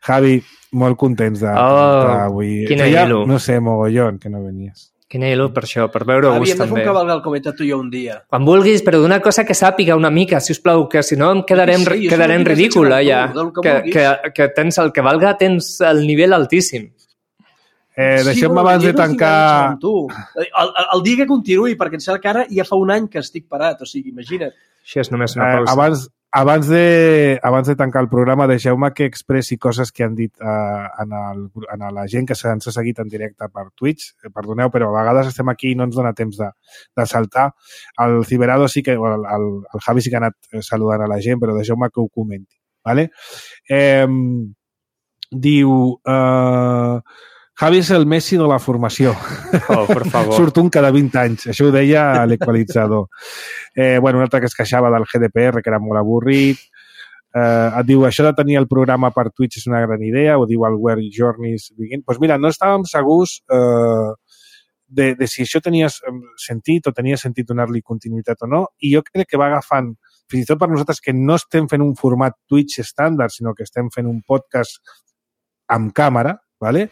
Javi, molt contents d'avui. Quina il·lu. No sé, mogollon, que no venies. Quina il·lu per això, per veure gust també. Havíem de fer un cavalgal com he tu i jo un dia. Quan vulguis, però d'una cosa que sàpiga una mica, si us plau, que si no em quedarem ridícul allà. Que tens el que valga, tens el nivell altíssim. Deixem-me abans de tancar... El dia que continuï, perquè em sembla que ara ja fa un any que estic parat, o sigui, imagina't. Això és només una pausa. abans de tancar el programa, deixeu-me que expressi coses que han dit a la gent que ens ha seguit en directe per Twitch. Perdoneu, però a vegades estem aquí i no ens dona temps de saltar. El Ciberado sí que, el Javi sí que ha anat saludant a la gent, però deixeu-me que ho comenti. ¿Vale? Diu... Javi és el Messi de la formació. Oh, per favor. Surt un cada 20 anys. Això ho deia l'equalitzador. Un altre que es queixava del GDPR, que era molt avorrit. Et diu, això de tenir el programa per Twitch és una gran idea, ho diu el Where Journeys Begin. Doncs mira, no estàvem segurs de si això tenia sentit o tenia sentit donar-li continuïtat o no, i jo crec que va agafant, fins i tot per nosaltres que no estem fent un format Twitch estàndard, sinó que estem fent un podcast amb càmera, ¿vale?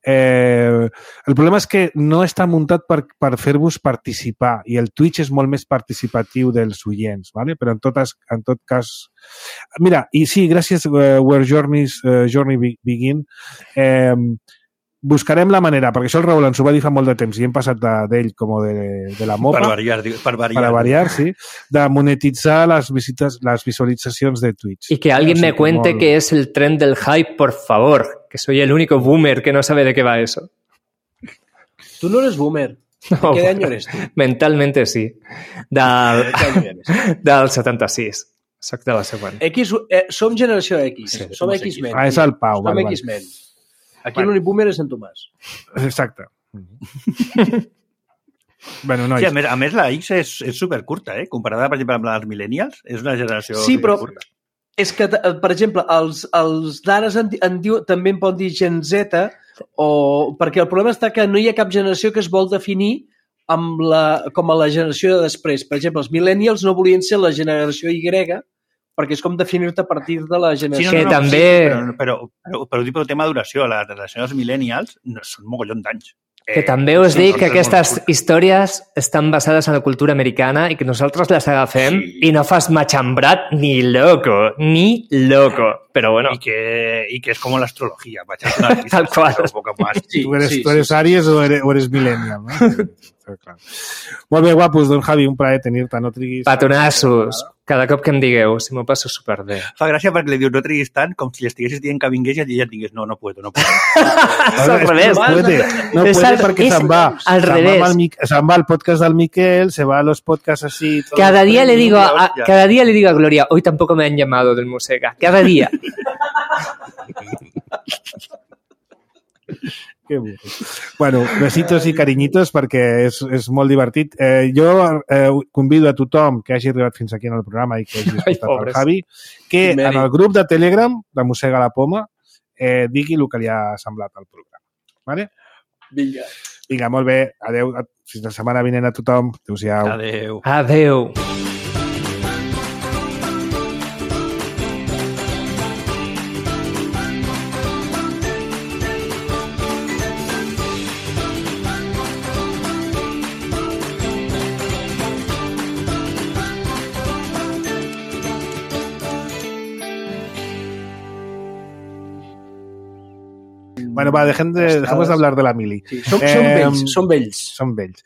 El problema és que no està muntat per fer-vos participar i el Twitch és molt més participatiu dels oients, ¿vale? Però en tot cas... Mira, i sí, gràcies Where Journey Begin, buscarem la manera, perquè això el Raül ens ho va dir fa molt de temps i hem passat d'ell com de la mopa. Per variar, sí. De monetitzar les visualitzacions de Twitch. Y que alguien me cuente qué es el tren del hype, por favor, que soy el único boomer que no sabe de qué va eso. Tú no eres boomer. No, ¿Qué año eres tú? Mentalmente sí. Del 76. Soc de la següent. Som generació X. Sí, som X-Men. És el Pau. Som X-Men. Aquí l'únic boomer és en Tomàs. Exacte. Bueno, nois. Sí, a més la X és supercurta, comparada, per exemple, amb les millennials. És una generació sí, però curta. És que, per exemple, els d'ara també en poden dir Gen Z, perquè el problema està que no hi ha cap generació que es vol definir com a la generació de després. Per exemple, els millennials no volien ser la generació Y, perquè és com definir-te a partir de la generació. Sí, també... Però ho dic pel tema de duració. La generació dels millennials són mogollon d'anys. Que també us dic que aquestes històries estan basades en la cultura americana i que nosaltres les agafem i no fas machambrat ni loco. Però bueno. Y que es como la astrología. Tal cual. Sí, tú eres Aries o eres millennial, ¿no? Clar. Molt bé, guapos, don Javi, un plaer tenir-te, no triguis... Patonassos, cada cop que em digueu, si m'ho passo superbé. Fa gràcia perquè li dius no triguis tant com si estiguessis dient que vingués i ja et digués no puedo. És al revés. No puede perquè se'n va. Al revés. Se'n va al podcast del Miquel, se va a los podcasts así... Cada día le digo a Gloria, hoy tampoco me han llamado del Musega. Cada día. Que burro. Bueno, besitos i carinyitos perquè és molt divertit. Jo convido a tothom que hagi arribat fins aquí en el programa i que hagi escoltat el Javi que en el grup de Telegram de Mossega la Poma digui el que li ha semblat al programa. Vale? Vinga, molt bé. Adéu. Fins la setmana vinent a tothom. Adéu-siau. Adéu. Bueno, va, dejemos de hablar de la mili. Sí, som vells.